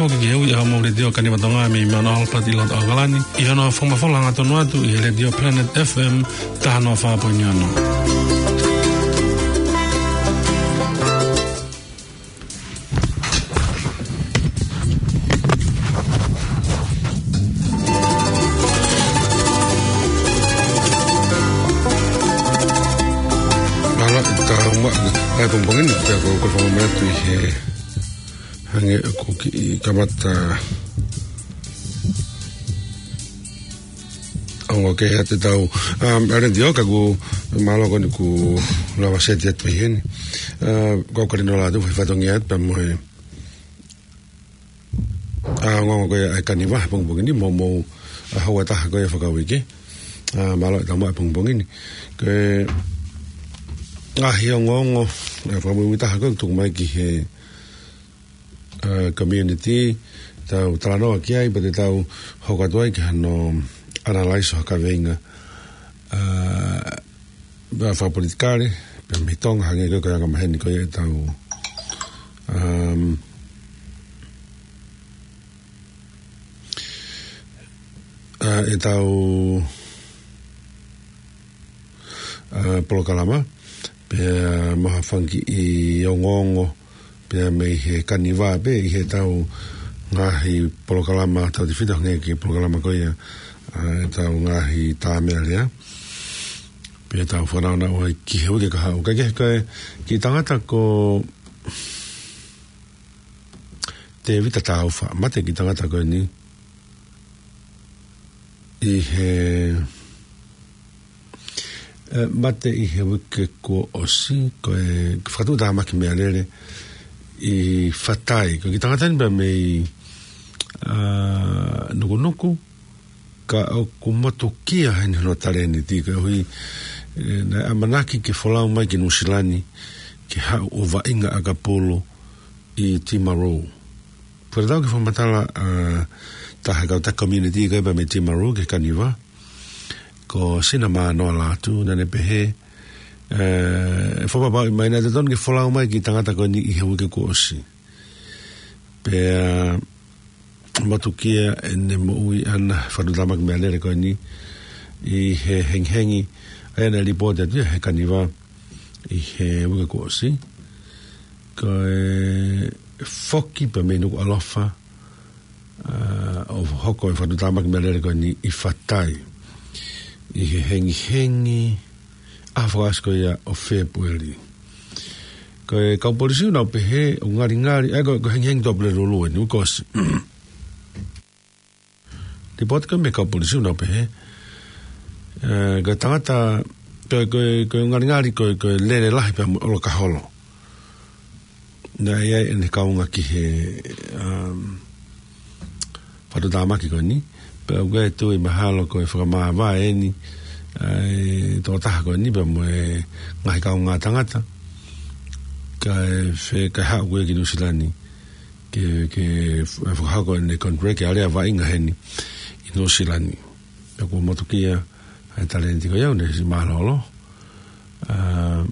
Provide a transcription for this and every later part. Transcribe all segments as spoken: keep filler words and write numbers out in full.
Ko e ui ʻa e Letiō Kaniva Tonga mei Mount Albert ʻi loto ʻAokalani, ʻi hono fakamafola hangatonu atu ʻi he Letiō Planet F M taha noa fā poini ono. Mālō, tau ma-, ʻa e pongipongi ni, pea ko e, ko e fakamanatu ʻi he hangē ko e kiʻi kamata ongo ke ʻatā ʻetau, um, ʻa e Letiō, ka ʻoku mālō ko eni kuo lava seti atu pē heni. Uh, ko e kole ʻo e lau atu, fai fatongia atu pea mo e, uh, ongoongo ko ia ʻa e Kaniva he pongipongi ni, mo, mo, uh, houa ʻe taha ko ia fakauike. Uh, mālō ʻetau maʻu he pongipongi ni. Ko e ngaahi ongoongo, uh, fakamuimui taha ko ē ʻoku tuku mai ki he, uh, community, tau talanoa ki ai, pea te tau hoko atu ai ki hano analyze ʻo ha kaveinga, uh, fakapolitikale, pea mei Tonga, hangē ko e, ko e anga maheni ko ia ʻetau, um, uh, ʻetau, uh, polokalama, pea mo ha fanga kiʻi ongoongo, pea mei he Kaniva pē ʻi heʻetau ngaahi polokalama tautautefito hangē ko e polokalama ko ia, uh, ʻetau ngaahi tā meʻa lea. Pea tau fanongo ai ki he uike kahaʻu. Ka ko e, ko e kiʻi tangata ko Tēvita Taufa, mate e kiʻi tangata ko eni ʻi he, eh, mate ʻi he uike kuo ʻosi, ko e fakatuʻutāmaki meʻalele ʻi Fatai. Ko e kiʻi tangata ni pea mei, ah, Nukunuku, ka ʻoku motukia heni hono talēniti, koeʻuhi, eh, naʻe ʻamanaki ke folau mai ki Nuʻu Sila ni, ke haʻu ʻo vaʻinga ʻakapulu ʻi Timaru. Pea tau kiʻi fakamatala, ah, taha e kau taki community ko ia pea mei Timaru ki he Kaniva, ko Sina Mānoa Lātū, naʻá ne pehē, eh, fakapapauʻi mai naʻe totonu ke folau mai e kiʻi tangata ko eni ʻi he uike kuo ʻosi. Pea motukia ʻene moʻui ʻana he fakatuʻutāmaki meʻalele ko eni ʻi he hengihengi, ʻa ia naʻe lipooti atu ia he Kaniva ʻi he uike kuo ʻosi. Ko e foki pea mei Nukuʻalofa, ah, ʻo hoko e fakatuʻutāmaki meʻalele ko eni ʻi Fatai ʻi he hengihengi ʻaho fakaʻosi ko ia ʻo Fēpueli. Ko e kau polisi ʻoku nau pehē ʻoku ngalingali, ʻa ia ko, ko e hengihengi Tuʻapulelulu eni, uike kuo ʻosi. Lipooti ko ē mei he kau polisi ʻoku nau pehē, eh, ko e tangata, ko, ko, ko e ngalingali ko, ko e lele lahi pea mo e ʻolokaholo. Naʻe ʻi ai ʻene kaunga ki he, um, fakatuʻutāmaki ko eni. Pea ʻoku ou tui mahalo ko e fakamāvae eni ʻa e tokotaha ko eni pea mo e ngaahi kaungā tangata, kae fai, kae haʻu ko ia ki Nuʻu Sila ni ke, ke f-, fakahoko ʻene contract, ke ʻalu ʻo vaʻinga heni ʻi Nuʻu Sila ni. Pea kuo motukia ʻa e talēniti ko ia, ʻoku ne siʻi mālōlō. Ah,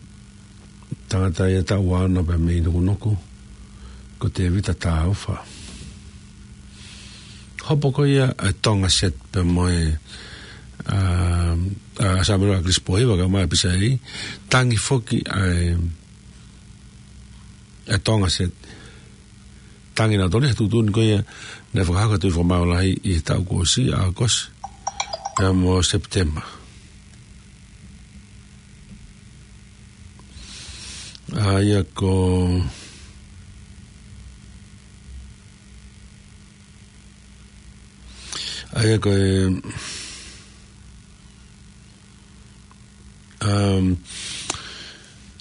tangata ia taʻu ua ono pea mei Nukunuku, ko Tēvita Taufa. Hopo ko ia ʻa e Tonga Set pea mo e, ah, ah, Samuela ʻAkilisi Pōhiva, kae ʻumaʻā e pisa ʻe, tangi foki ʻa e, ʻa e Tonga Set. Tangi nautolu ia he tuʻutuʻuni ko ia naʻe fakahoko ʻe he Tuʻi Fakamaau Lahi ʻi he taʻu kuo ʻosi, ʻAokosi pea mo Sepitema. ʻA ia ko, ʻa ia ko e, um,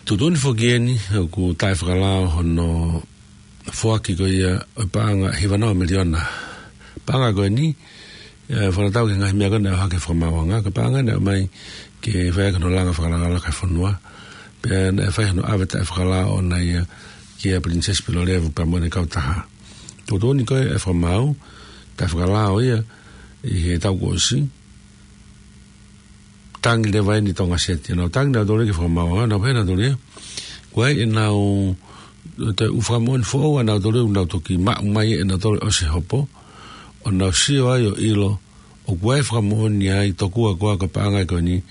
tuʻutuʻuni foki eni ʻoku taʻefakalao hono foaki ko ia ʻo e paʻanga hiva noa miliona. Paʻanga ko eni, eh, fakatatau ki he ngaahi meʻa ko ē naʻe ʻohake ʻe he Fakamaauʻanga, ko e paʻanga naʻe ʻomai ke fai ʻaki hono langa fakalakalaka e fonua. Pea naʻe fai hono ʻave taʻefakalao ʻona ia kia Pilinisesi Pilolevu pea mo ʻene kautaha. Tuʻutuʻuni ko ē ʻa e Fakamaau, taʻefakalao ia ʻi he taʻu kuo ʻosi, tangi leva eni Tonga Set. Naʻa nau tangi nautolu ki he Fakamaauʻanga, naʻa nau pehē nautolu ia, ko e ʻenau ʻo e ʻū fakamoʻoni foʻou ʻa nautolu ʻoku nau toki maʻu mai ʻe nautolu ʻosi e hopo, ʻo nau sio ai ʻo ʻilo ʻoku ʻi ai e fakamoʻoni ai tokua ko ā ko e paʻanga ko eni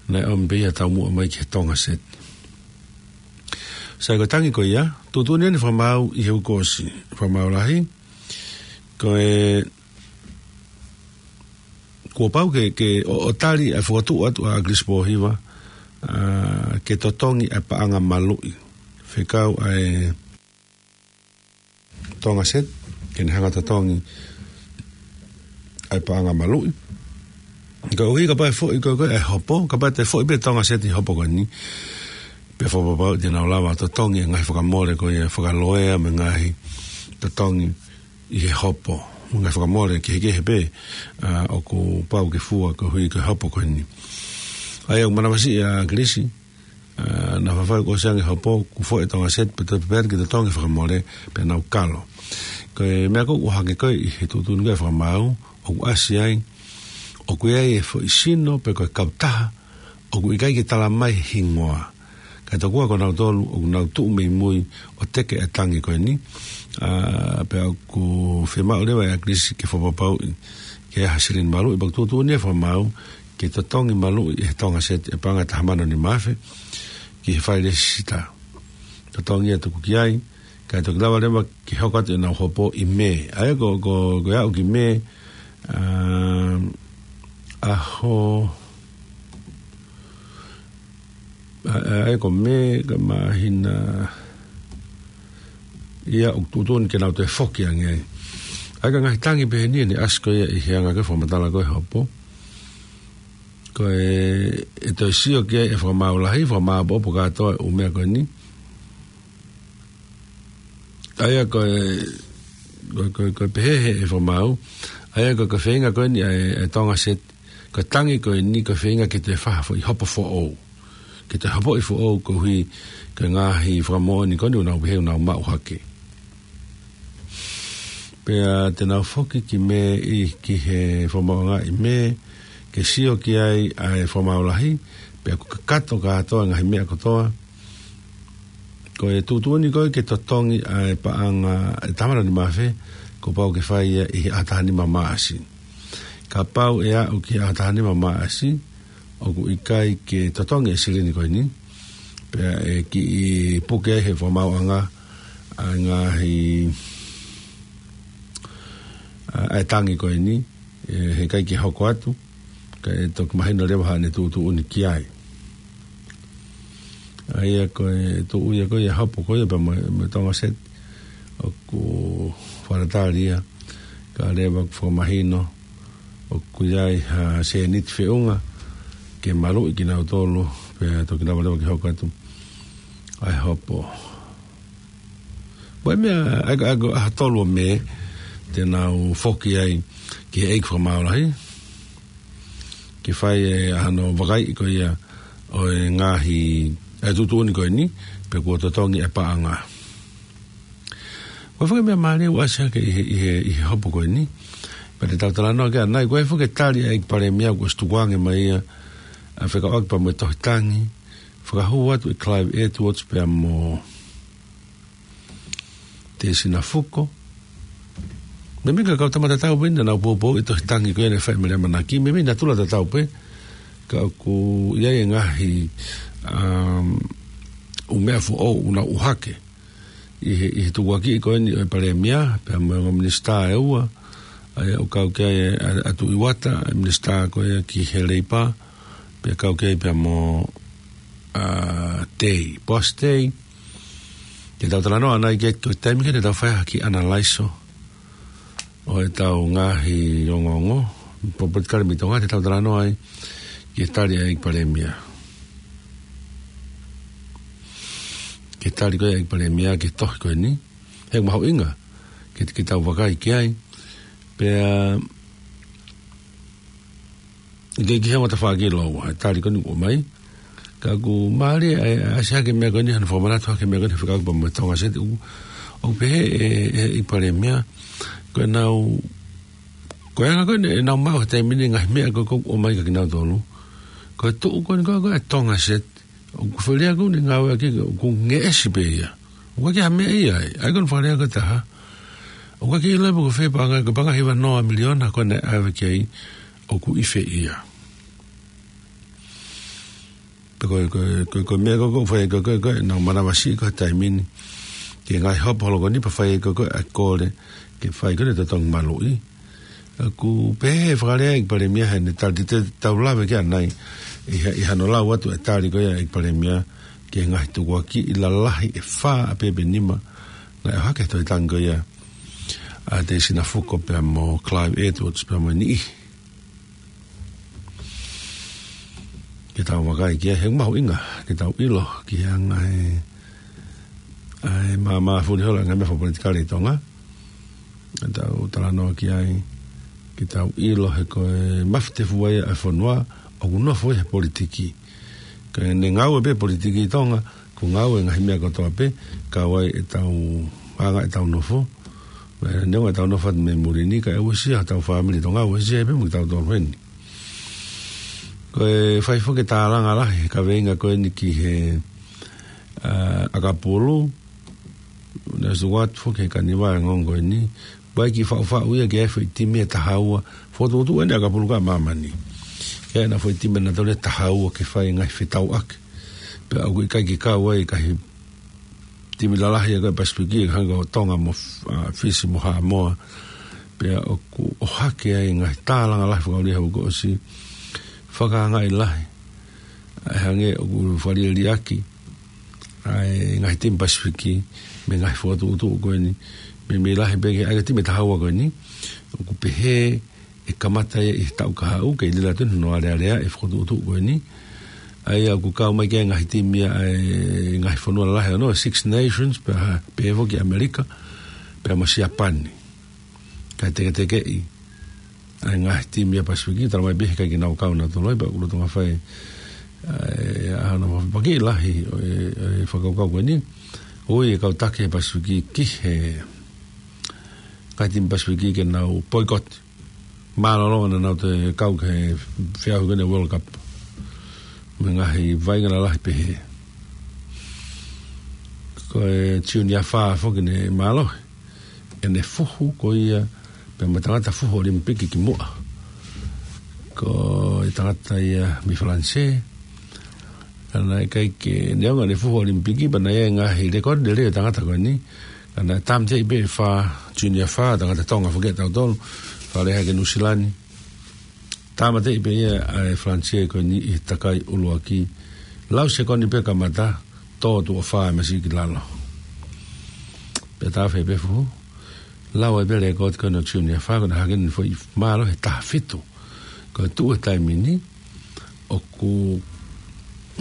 naʻe ʻomi pē ia ʻo taumuʻa mai ki he Tonga Set. Sai, ko e tangi ko ia, tuʻutuʻuni ʻeni fakamaau ʻi he uike kuo ʻosi, fakamaau lahi, ko e kuo pau ke, ke ʻo, ʻo tali ʻa e fokotuʻu atu ʻa ʻAkilisi Pōhiva, ʻa, ke totongi ʻa e paʻanga maluʻi. Fekau ʻa e Tonga Set, ke ne hanga ʻo totongi ʻa e paʻanga maluʻi. Ka ʻuhi kapau ʻe foʻi ko ē, ko ē ʻa e hopo, kapau te foʻi pē Tonga Set ʻi he hopo ko eni, pea fakapapauʻi te nau lava ʻo totongi e ngaahi fakamole ko ia fakaloea mo e ngaahi totongi ʻi he hopo, mo e ngaahi fakamole kehekehe pē, ʻa, ʻoku pau ke fua koeʻuhi ko e hopo ko eni. ʻA ia ʻoku manavasiʻi ʻa ʻAkilisi, ʻa, naʻa faifai kuo ʻosi ange e hopo, kuo foʻi e Tonga Set, pea toe prepare ke totongi e fakamole, pea nau kalo. Ko e meʻa ko ē ʻoku ʻohake ko ē ʻi he tuʻutuʻuni ko ē fakamaau, ʻoku ʻasi ai, ʻoku ʻi ai e foʻi sino pe ko e kautaha, ʻoku ʻikai ke tala mai e hingoa. Ka tokua ko nautolu ʻoku nau tuʻu mei mui ʻo teke e tangi ko eni. ʻA, pea ʻoku fiemaʻu leva ʻe ʻAkilisi ke fakapapauʻi ke ʻi ai ha silini maluʻi, pea ʻoku tuʻutuʻuni e fakamaau ke totongi maluʻi ʻe he Tonga Set e paʻanga ʻe taha mano nima afe ki he fai lēsisita. Totongi ia, tuku ki ai, kae toki lava leva ke hoko atu ʻenau hopo ʻi Mē. ʻA ia ko, ko, ko e aʻu ki Mē, ʻa, ʻaho, ʻa, ʻa, ʻa ia ko Mē, ko e māhina ia ʻoku tuʻutuʻuni ke nau toe foki ange ai. ʻA ia ko e ngaahi tangi pehē ni ʻoku ʻasi ko ia ʻi he anga ko ē e fakamatala ko ē ʻo e hopo. Ko e, ʻe toe sio ki ai e fakamaau lahi, fakamāʻopoʻopo kātoa e ʻū meʻa ko eni. ʻA ia ko e, ko, ko, ko e pehē ʻe he fakamaau, ʻa ia ko, ko e feinga ko eni ʻa e, ʻa e Tonga Set, ko e tangi ko eni ko e feinga ke toe fai ha foʻi hopo foʻou. Ke toe hopoʻi foʻou koeʻuhi ko e ngaahi fakamoʻoni ko eni ʻoku nau pehē ʻoku nau maʻu hake. Pea te nau foki ki Mē ʻi, ki he fakamaauʻanga ʻi Mē, ke sio ki ai ʻa e fakamaau lahi, pea ʻoku kakato kātoa e ngaahi meʻa kotoa. Ko e tuʻutuʻuni ko ē ke totongi ʻa e paʻanga ʻe taha mano nima afe, kuo pau ke fai ia ʻi he ʻaho taha nima Maʻasi. Kapau ʻe aʻu ki he ʻaho taha nima Maʻasi, ʻoku ʻikai ke totongi e silini ko eni, pea ʻe kiʻi puke ai ʻe he fakamaauʻanga ʻa e ngaahi, ʻa, ʻa e tangi ko eni, ʻe, heʻikai ke hoko atu, kae toki mahino leva haʻane tuʻutuʻuni ki ai. ʻA ia ko e tuʻu ia ko ia e hopo ko ia pea mo, mo e Tonga Set, ʻoku fakatatali ia, kae lava ʻo fakamahino ʻoku ʻi ai ha sēniti feʻunga ke maluʻi kinautolu, pea toki lava leva ke hoko atu ʻa e hopo. Ko e meʻa, ʻa ia ko e ʻaho tolu ʻo Mē, te nau foki ai ki he ʻeiki fakamaau lahi, ke fai e ʻa hono vakaiʻi ko ia ʻo e ngaahi, ʻa e tuʻutuʻuni ko eni, pe kuo totongi e paʻanga. Ko e foʻi meʻa mālie ʻoku ʻasi hake ʻi he, ʻi he, ʻi he hopo ko eni. Pea te tau talanoa ki ai ʻanai, ko e foʻi tali ʻa e ʻEiki Palēmia kuo ʻosi tukuange mai ia, ʻa, fekauʻaki pea mo e tohi tangi, fakahū atu ʻe Clive Edwards pea mo Tēsina Fuko. Meimei ko e kau tama tatau pē eni naʻa nau poupouʻi e tohi tangi ko ia naʻe fai ʻe Mele ʻAmanaki. Meimei naʻa tula tatau pē, ka ʻoku ʻi ai e ngaahi, um, ʻū meʻa foʻou ʻoku nau ʻohake ʻi he, ʻi he tukuakiʻi ko eni ʻo e Palēmia, pea mo e ongo minisitā ʻe ua, ʻa ia ʻoku kau ki ai ʻa, ʻa Tuʻi Uata, ʻa e minisitā ko ia ki he Leipa, pea kau ki ai pea mo, ʻa, Tei, Boss Tei. Te tau talanoa ʻanai ki he, ko e taimi ko ē te tau fai ha kiʻi ʻanalaiso ʻo ʻetau ngaahi ongoongo, po-, politikale mei Tonga, te tau talanoa ai ki he tali ʻa e ʻEiki Palēmia. Ki he tali ko ia ʻa e ʻEiki Palēmia ki he tohi ko eni. He ʻoku mahuʻinga ke, ke tau vakai ki ai. Pea ʻikai ke ʻi ai hano tafaʻaki lōua, ʻa e tali ko eni ʻoku ʻomai. Ka ʻoku mālie ʻa e, ʻa e ʻasi hake e meʻa ko eni, hano fakamanatu hake e meʻa ko eni, fekauʻaki pea mo e Tonga Set, ʻoku, ʻoku pehē ʻe, ʻe, ʻe he ʻEiki Palēmia, ko ʻenau, ko e anga ko ē ʻenau maʻu he taimi ni e ngaahi meʻa ko ē ʻoku ʻomai kiate kinautolu. Ko e tuʻu ko eni ko ē, ko e Tonga Set, ʻoku fēlea ko eni e ngāueʻaki, ʻoku ngeʻesi pē ia. ʻOku ʻikai ke ha meʻa ia ai, ʻa ia ko hono fakalea ko e taha. ʻOku ʻikai ke ʻilo pe ko fē paʻanga, ko e paʻanga hiva noa miliona ko ē naʻe ʻave ki ai, ʻoku ʻi fē ia. Pea ko e, ko e, ko e, ko e meʻa ko ē ʻoku fai ko ē, ko e, ko e, nau manavasiʻi ko ē he taimi ni. Ki he ngaahi hopo holo ko eni pea fai ko ē, ko e, ʻa e kole, ke fai ko ē ʻa e totongi maluʻi. ʻOku pehē ʻe he fakalea ʻa e ʻEiki Palēmia heʻene tali, te tau lave ki ai ʻanai, ʻi ha-, ʻi hano lau atu e tali ko ia ʻa e ʻEiki Palēmia ki he ngaahi tukuakiʻi lalahi ʻe fā ʻa pē pe nima naʻe ʻohake he tohi tangi ko ia ʻa Teisina Fuko pea mo Clive Edwards pea mo e niʻihi. Ke tau vakai ki ai he mahuʻinga ke tau ʻilo ki he anga e, ʻa e māmā fuli holo e ngaahi meʻa fakapolitikale ʻi Tonga. Ke tau talanoa ki ai, ke tau ʻilo he ko e mafutefua ia ʻa e fonua ʻoku nofo he politiki. Ka ʻi heʻene ngāue pē politiki ʻi Tonga, ʻoku ngāue ngaahi meʻa kotoa pē, kau ai ʻetau anga ʻetau nofo. Neongo ʻetau nofo atu mei muli ni, kae uesia hotau fāmili Tonga, uesia pē mo kitautolu heni. Ko e fai foki e tālanga lahi he kaveinga ko eni ki he, ʻa, ʻakapulu, naʻe ʻosi ʻoatu foki he kaniva e ongoongo ko eni, ʻoku ʻi ai e kiʻi faʻufaʻu ia ki he foʻi timi ʻe taha ua, fokotuʻutuʻu eni ʻakapulu ko ē ʻa māmani. Ki ai ʻena foʻi timi ʻe taha ua ke fai e ngaahi fetauʻaki. Pea ʻoku ʻikai ke kau ai e ngaahi timi lalahi ʻa e Pasifiki, hangē ko Tonga mo, ʻa, Fisi mo Haʻamoa. Pea ʻoku ʻohake ai e ngaahi tālanga lahi fakaʻuliʻi he uike kuo ʻosi, fakaangaʻi lahi ʻa e hangē ʻoku fakaliʻeliʻaki ʻa e ngaahi timi Pasifiki mei he ngaahi fokotuʻutuʻu ko eni, meimei lahi pē ki he ʻa e timi ʻe taha ua ko eni. ʻOku pehē ʻe kamata ia ʻi he taʻu kahaʻu, kei lila atu eni hono aleaʻi e fokotuʻutuʻu ko eni. ʻA ia ʻoku kau mai ki ai e ngaahi timi ia ʻa e ngaahi fonua lalahi ʻo e Six Nations, pea ha-, pehē foki ʻAmelika, pea mo Siapani. Kae teketekeʻi ʻa e ngaahi timi ia Pasifiki, talamai pē he ʻikai ke nau kau nautolu ai, pea ʻoku lolotonga fai, ʻa e, ʻa hono fepaki lahi ʻo e, ʻo e fakakaukau ko eni. ʻOku ui e kau taki he Pasifiki ki he ngaahi timi Pasifiki ke nau boycott. Mālōlō naʻa nau toe kau ki he feʻauhi ko eni World Cup. Mo e ngaahi vaʻinga lalahi pehē. Ko e Junior Fā foki naʻe mālohi ʻene fuhu ko ia pea mo e tangata fuhu ʻOlimipiki kimuʻa. Ko e tangata ia mei Falanisē. Ka naʻe ʻikai ke, neongo ʻene fuhu ʻOlimipiki, pea naʻe ʻi ai e ngaahi lēkooti lelei ʻo e tangata ko eni. Ka naʻe tāmateʻi pē ʻe Fā, Junior Fā, tangata Tonga foki ʻa tautolu, fakalea hake Nuʻusila ni. Tāmateʻi pē ia ʻe Falanisē ko eni ʻi he takai ʻuluaki. Lau sekoni pē kamata, tō tuʻo fā e masiʻi ki lalo. Pea tafe pē fuhu. Lau ai pē lēkooti ko eni ʻo Junior Fā, ko ʻene hake ni foʻi mālohi he taha fitu. Ko e tuʻu he taimi ni, ʻoku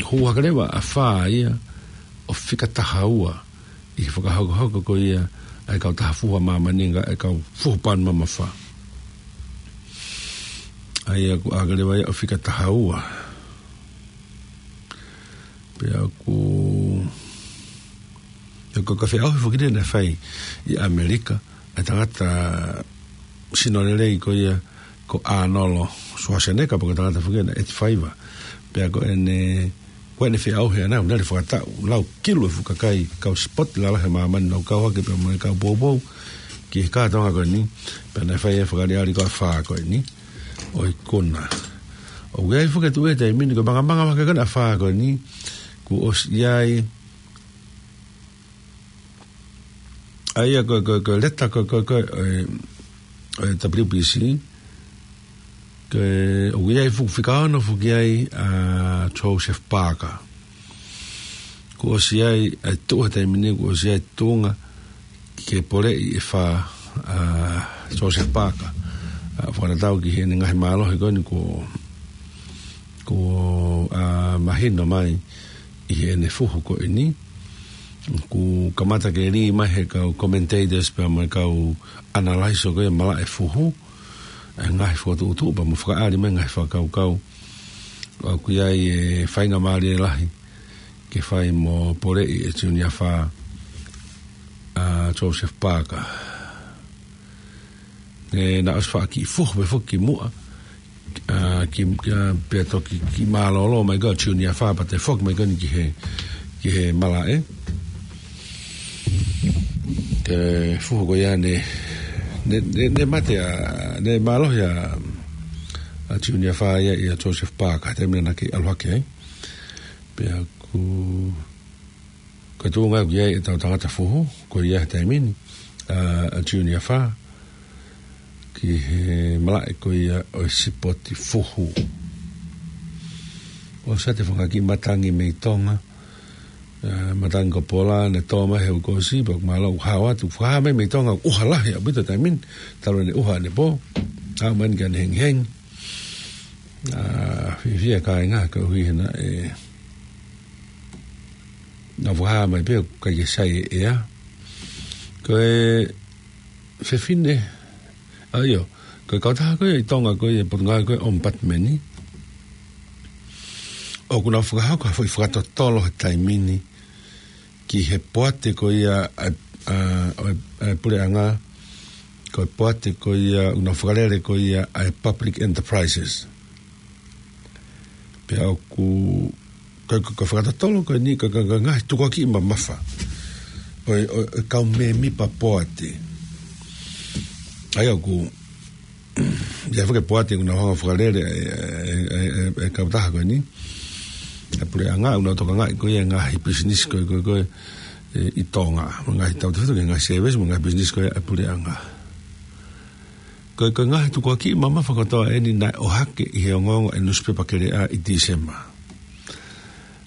hū hake leva ʻa Fā ia ʻo fika taha ua ʻi he fakahokohoko ko ia ʻa e kau taha fuhu ʻa māmani, ʻa e kau fuhu pound mamafa. ʻA ia ʻoku hake leva ia ʻo fika taha ua. Pea ʻoku, ʻoku ʻikai ke feʻauhi foki naʻe fai ʻi ʻAmelika, ʻa e tangata sino lelei ko ia ko Arnold Schwarzenegger, pea ko e tangata foki naʻe ʻeti faiva. Pea ko ʻene, ko ʻene feʻauhi ʻana, naʻe fakataʻu, lau kilu e fuʻu kakai, kau sipoti lalahi ʻa māmani, nau kau hake pea mo e kau poupou ki he kātoanga ko eni, pea naʻe fai e fakaʻaliʻali ko ē ʻa Fā ko eni ʻo ikuna. ʻOku ʻi ai foki e tuʻu he taimi ni, ko e mangamanga mahaki ko ē ʻa Fā ko eni, kuo ʻosi ʻi ai, ʻa ia ko e, ko e, ko e leta ko e, ko e, ko e, ʻo e, ʻo e W B C, ko e, ʻoku ʻi ai fuʻu fika ono foki ai ʻa Joseph Parker. Kuo ʻosi ʻi ai, ʻa e tuʻu he taimi ni, kuo ʻosi ʻi ai e tuʻunga ke poleʻi ʻe Fā ʻa Joseph Parker. ʻA, fakatatau ki heʻene ngaahi mālohi ko eni kuo, kuo, ʻa, mahino mai ʻi heʻene fuhu ko eni. Kuo kamata ke lī mai he kau commentators pea mo e kau analyzer ko ia malaʻe fuhu, ʻa e ngaahi fokotuʻutuʻu pea mo fakaʻali mai e ngaahi fakakaukau. ʻOku ʻi ai e faingamālie lahi ke fai mo poleʻi ʻe Junior Fā ʻa Joseph Parker. ʻE, naʻe ʻosi faʻa kiʻi fuhu pē foki kimuʻa, ʻa, ki, ki, ʻa, pea toki kiʻi mālōlō mai ko ē ʻa Junior Fā pea toe foki mai ko eni ki he, ki he malaʻe. Ko e fuhu ko ia ne, ne, ne, ne mate ʻa, ne mālohi ʻa, ʻa Junior Fā ia ʻia Joseph Parker, taimi naʻa ne kei ʻalu hake ai. Pea ʻoku, ko e tuʻunga ʻoku ʻi ai ʻetau tangata fuhu, ko ia he taimi ni, ʻa, ʻa Junior Fā, ki he malaʻe ko ia ʻo e sipoti fuhu. ʻOsi ʻa e fanga kiʻi matangi mei Tonga, ʻa, matangi ko Pola, ne tō mai he uike kuo ʻosi, pea ʻoku mālō ʻoku hao atu, fakahā mai mei Tonga, ʻoku ʻuha lahi ʻaupito taimi ni, talu ʻene ʻuha ʻanepō, hao mai eni ki heʻene hengihengi. ʻA, fiefia kāinga, koeʻuhi he naʻe, naʻe fakahā mai pē ʻoku ʻikai ke sai e ʻea. Ko e fefine, ʻa ʻio, ko e kautaha ko ia ʻi Tonga ko ia ʻi he Potungāue ko ia ʻo e ʻOmipatimeni, ʻoku nau fakahoko ha foʻi fakatotolo he taimi ni ki he poate ko ia ʻa, ʻa, ʻa, ʻa e puleʻanga, ko e poate ko ia ʻoku nau fakalele ko ia ʻa e public enterprises. Pea ʻoku, ko, ko, ko e fakatotolo ko eni, ko, ko, ko e ngaahi tukuakiʻi mamafa ʻo e, ʻo e, ʻo e kau mēmipa poate. ʻA ia ʻoku, ʻi ai foki e poate ʻoku nau hanga ʻo fakalele e, e, e, e, e kautaha ko eni, e puleʻanga, ʻoku nau tokangaʻi ko ia e ngaahi pisinisi ko ē, ko ē, ko ē, ʻe, ʻi Tonga, mo e ngaahi tautefito ki he ngaahi sēvesi, mo e ngaahi pisinisi ko ia ʻa e puleʻanga. Ko e, ko e ngaahi tukuakiʻi mamafa kotoa eni naʻe ʻohake ʻi he ongoongo ʻa e nusipepa Keleʻa ʻi Tīsema.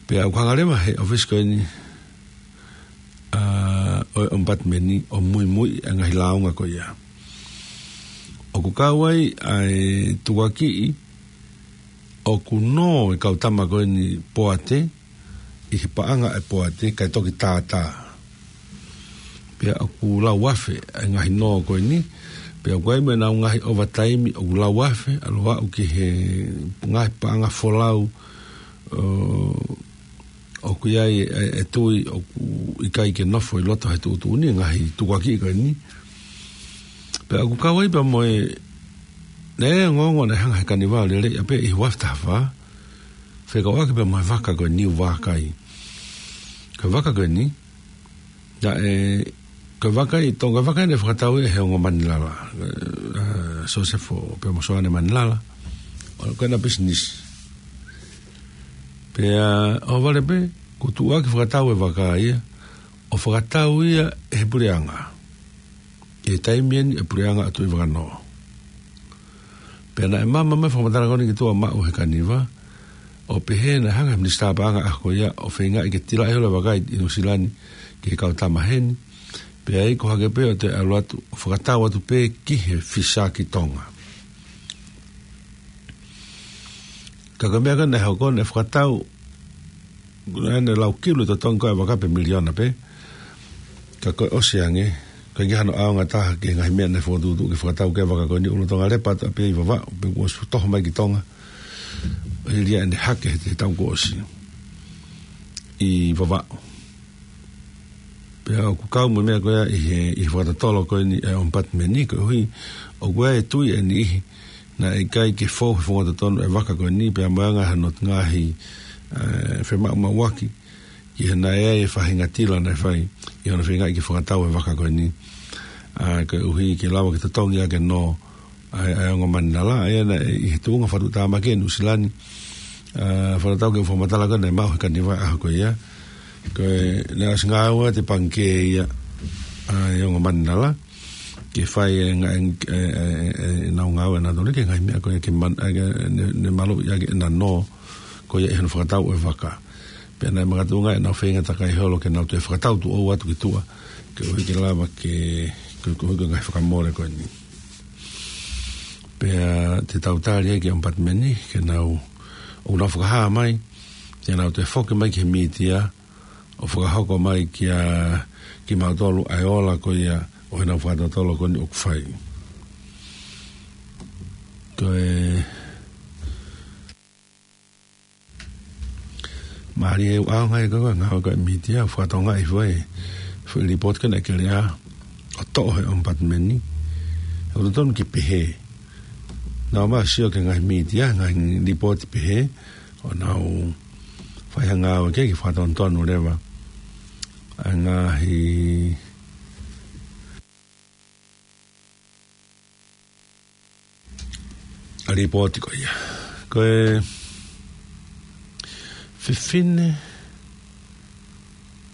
Pea ʻoku hanga leva he ʻōfisi ko eni, ʻa, ʻo e ʻOmipatimeni ʻo muimui ʻa e ngaahi lāunga ko ia. ʻOku kau ai ʻa e tukuakiʻi ʻoku nō e kau tama ko eni poate ʻi he paʻanga ʻa e poate kae toki tātā. Pea ʻoku lau afe ʻa e ngaahi nō ko eni, pea ʻoku ʻi ai mo ʻenau ngaahi ovataimi ʻoku lau afe, ʻalu ʻo aʻu ki he ngaahi paʻanga folau, ʻo, ʻoku ʻi ai e, e, e tui ʻoku ʻikai ke nofo ʻi loto he tuʻutuʻuni e ngaahi tukuakiʻi ko eni. Pea ʻoku kau ai pea mo e, naʻe ongoongo naʻe hanga he Kaniva ʻo lele ia pē ʻi he ua afe taha fā, fekauʻaki pea mo e vaka ko e Niu Vākai. Ko e vaka ko eni, naʻe, ko e vaka ʻi Tonga, ko e vaka eni naʻe fakatau ia he ongo Manilala, ʻa, Sosefo pea mo Soane Manilala, ʻo ko ʻena pisinisi. Pea ʻohovale pē, kuo tuʻuaki fakatau e vaka ia, ʻo fakatau ia ʻe he puleʻanga. ʻI he taimi eni ʻa e puleʻanga ʻo Tuʻivakanō. Pea naʻe maama mai e fakamatala ko eni ki tuʻa maʻu he Kaniva, ʻo pehē naʻe hanga he minisitā paʻanga ʻaho ko ia ʻo feingaʻi ke tilaʻi holo e vaka ʻi Nuʻusila ni ki he kau tama heni, pea iku hake pē ʻo toe ʻalu atu, ʻo fakatau atu pē ki he fisa ki Tonga. Ka ko e meʻa ko ē naʻe hoko, naʻe fakatau, naʻe lau kilu e totongi ko ē e vaka pe miliona pē. Ka ko e ʻosi ange, ʻikai ke ʻi ai hano ʻaonga ʻe taha ki he ngaahi meʻa naʻe fokotuʻutuʻu ke fakatau ki ai e vaka ko eni, ʻoku lolotonga lepa atu pē ʻi Vavaʻu, pea kuo ʻosi toho mai ki Tonga. ʻI he ʻene hake he, he taʻu kuo ʻosi ʻi Vavaʻu. Pea ʻoku kau mo e meʻa ko ia ʻi he, ʻi he fakatotolo ko eni ʻa e ʻOmipatimeni, koeʻuhi ʻoku ʻi ai e tui ʻe niʻihi naʻe ʻikai ke fou he founga totonu e vaka ko eni, pea mo e anga hono ngaahi, ʻa, femaʻumaʻuaki, ki he naʻe ʻi ai e faʻahinga tila naʻe fai ʻi hono feingaʻi ke fakatau e vaka ko eni. ʻA, koeʻuhi ke lava ke totongi ʻaki e nō ʻa e, ʻa e ongo Manilala, ʻa ia naʻe ʻi he tuʻunga fakatuʻutāmaki ʻa Nuʻusila ni, ʻa, fakatatau ki he fakamatala ko ē naʻe maʻu he Kaniva he ʻaho ko ia. Ko e, naʻe ʻosi ngāueʻaki e pangikē ia ʻa e ongo Manilala ke fai e ngaahi, e, e, e, ʻenau ngāue ʻanautolu ki he ngaahi meʻa ko ia ke man-, ʻa, ke, ne, ne maluʻi ʻaki ʻena nō ko ia ʻi hono fakatau e vaka. Pea naʻe makatuʻunga ʻenau feinga takai holo ke nau toe fakatau tuʻou atu ki tuʻa, koeʻuhi ke lava ke, ke, koeʻuhi ko e ngaahi fakamole ko eni. Pea te tau tali ai ki he ʻOmipatimeni, ke nau, ʻoku nau fakahā mai, ke nau toe foki mai ki he mītia, ʻo fakahoko mai kia kimautolu ʻa e ola ko ia ʻo ʻenau fakatotolo ko eni ʻoku fai. Ko e mālie ʻaonga ia ko e ngāue ko ē ʻa e mītia, ʻo fakatokangaʻi hifo e foʻi lipooti ko ē naʻe Keleʻa ʻo toʻo he ʻOmipatimeni. ʻOku totonu ke pehē. Naʻa mau sio ki he ngaahi mītia, ngaahi lipooti pehē, ʻo nau fai ha ngāue ke, ke fakatonutonu leva ʻa e ngaahi ʻa e lipooti ko ia. Ko e fefine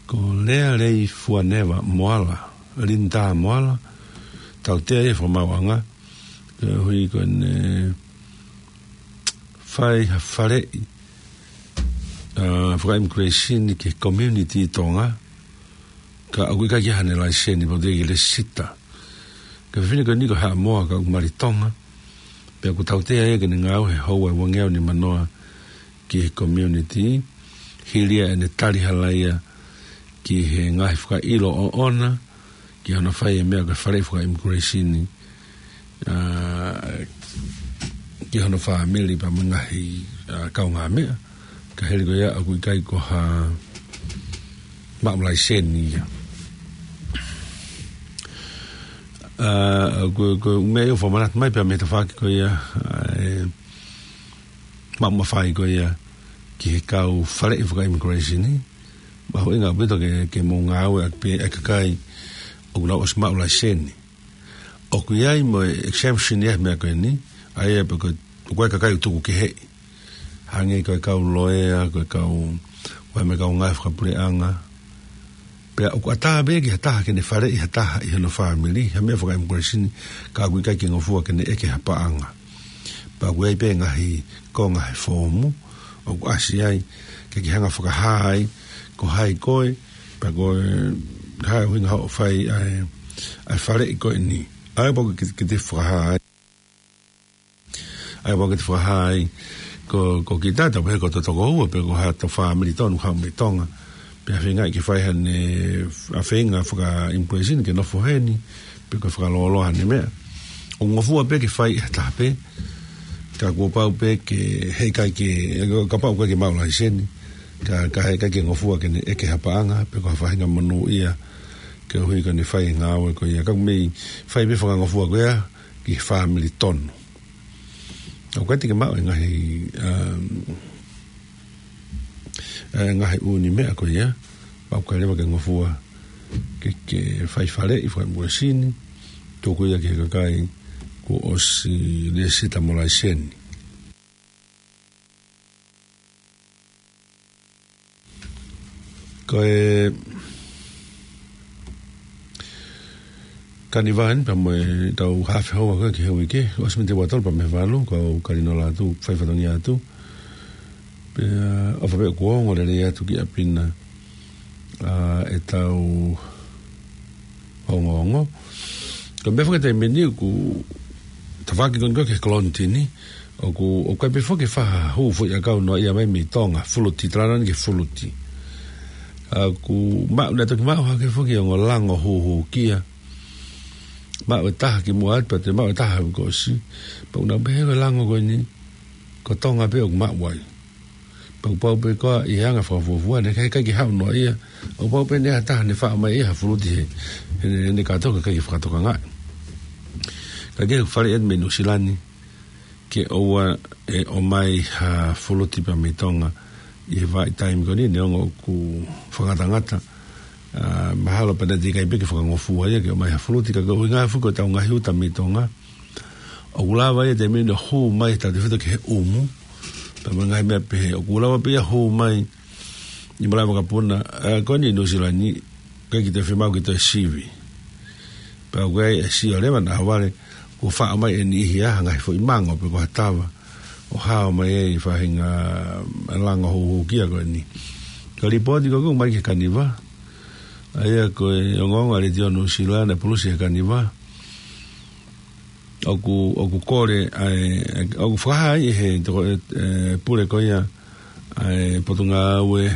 ko Lea Lei Fuaneva Moala, Linda Moala, tautea e fakamaauʻanga, koeʻuhi ko ʻene fai ha faleʻi, ʻa, faka-immigration ki he community Tonga, ka ʻoku ʻikai ke ʻi ai haʻane laiseni, pea ʻoku teʻeki ke lesisita. Ko e fefine ko eni ko Haʻamoa ka ʻoku mali Tonga. Pea ʻoku tautea ia ke ne ngāue he houa ʻe uangeau nimanoa ki he community. Hili ia ʻene tali hala ia ki he ngaahi fakaʻilo ʻoʻona, ki hono fai e meʻa ko e faleʻi faka-immigration, ʻa, ki hono fāmili pea mo e ngaahi, ʻa, kaungāmeʻa. Ka hili ko ia ʻoku ʻikai ko ha maʻu laiseni ia. ʻA, ko, ko e meʻa ia ʻoku fakamanatu mai pea mei he tafaʻaki ko ia, ʻa, e maʻu mafai ko ia ki he kau faleʻi faka-immigration, mahuʻinga ʻaupito ke, ke mou ngāueʻaki pē ʻa e kakai ʻoku nau ʻosi maʻu laiseni. ʻOku ʻi ai mo e exemption ia he meʻa ko eni, ʻa ia pē ko, ko e kakai ʻoku tuku keheʻi. Hangē ko e kau loea, ko e kau, ko e meʻa kau ngāue fakapuleʻanga. Pea ʻoku ʻatā pē ki ha taha ke ne faleʻi ha taha ʻi hono fāmili, ha meʻa faka-immigration, ka ʻoku ʻikai ke ngofua ke ne ʻeke ha paʻanga. Pea ʻoku ʻi ai pē ngaahi konga he foomu ʻoku ʻasi ai, ke ke hanga fakahā ai ko hai koe, pea ko e hā e ʻuhinga hoʻo fai ʻa e, ʻa e faleʻi ko eni. ʻA ia pea ʻoku ke, ke te fakahā ai. ʻA ia pea ʻoku ke te fakahā ai ko, ko kita, tau pehē ko hoto tokoua, pe ko hato fāmili tonu haʻu mei Tonga. Pea feingaʻi ke fai haʻane, ʻa, feinga faka-immigration ke nofo heni, pe ko e fakalōloa haʻane meʻa. ʻOku ngofua pē ke fai ʻe ha taha pē, ka kuo pau pē ke, heʻikai ke, kapau ʻoku ʻikai ke maʻu laiseni, ka, ka heʻikai ke ngofua ke ne ʻeke ha paʻanga, pe ko ha faʻahinga monūʻia, koeʻuhi ko ʻene fai e ngāue ko ia. Ka ʻoku mei fai pē fakangofua ko ia ki he fāmili tonu. ʻOku ʻikai te ke maʻu e ngaahi, um, e ngaahi ʻū meʻa ko ia, pea ʻoku ʻikai leva ke ngofua ke, ke fai faleʻi faka-immigration, tuku ia ki he kakai kuo ʻosi lesisita mo laiseni. Ko e kaniva eni pea mo ʻetau hafe houa ko ē ki he uike, ʻosi miniti ua tolu pea mei he valu, ko au Kalinola atu, fai fatongia atu. Pea ʻofa pē ʻoku ongo lelei atu ki ʻapi na, ʻa, ʻetau ongoongo. Ko e meʻa foki taimi ni ʻoku tafaʻaki ko eni ko ē ki he kolonitini, ʻoku, ʻoku ʻikai pē foki ke faʻa hū foʻiʻakau noaʻia mai mei Tonga, fuluti, talanoa ni ki he fuluti. ʻA, ʻoku maʻu, naʻe toki maʻu hake foki ongo lango hūhūkia. Maʻu e taha kimuʻa atu, pea toe maʻu e taha ʻaho kuo ʻosi. Pea ʻoku nau pehē ko e lango ko eni, ko Tonga pē ʻoku maʻu ai. Pea ʻoku pau pē ko ia ʻi he anga fakafuofua, naʻe ʻikai, ʻikai ke haʻu noaʻia. ʻOku pau pē ʻe ha taha ne faʻa ʻomai ʻe ia ha fuluti he, he, he, he kātoa ka ʻikai ke fakatokangaʻi. Ka ke faleʻi atu mei Nuʻusila ni, ke ʻoua ʻe ʻomai ha fuluti pea mei Tonga ʻi he vahaʻa taimi ko eni, neongo ʻoku fakangatangata. ʻA, mahalo pē naʻe teʻeki ai pē ke fakangofua ia ke ʻomai ha fuluti, ka ko e ʻuhinga foki ko ʻetau ngaahi uta mei Tonga. ʻOku lava ia taimi ni ʻo hū mai he tautefito ki he ʻumu. Pea mo e ngaahi meʻa pehē, ʻoku lava pē ia hū mai ʻi malaʻe vakapuna, ʻa, ko eni Nuʻusila ni, ʻikai ke toe fiemaʻu ke toe sivi. Pea ʻoku ʻi ai e sio leva naʻa vale, kuo faʻa ʻomai ʻe niʻihi ha ngaahi foʻi mango pe ko ha tava, ʻo hao mai ai e faʻahinga lango hūhūkia ko eni. Ko e lipooti ko ē ʻoku ʻomai ki he kaniva, ʻa ia ko e ongoongo ʻa e Letiō Nuʻusila naʻe pulusi he kaniva, ʻoku, ʻoku kole, ʻa e, ʻoku fakahā ai ʻe he toko, e, e, pule ko ia, ʻa e Potungāue,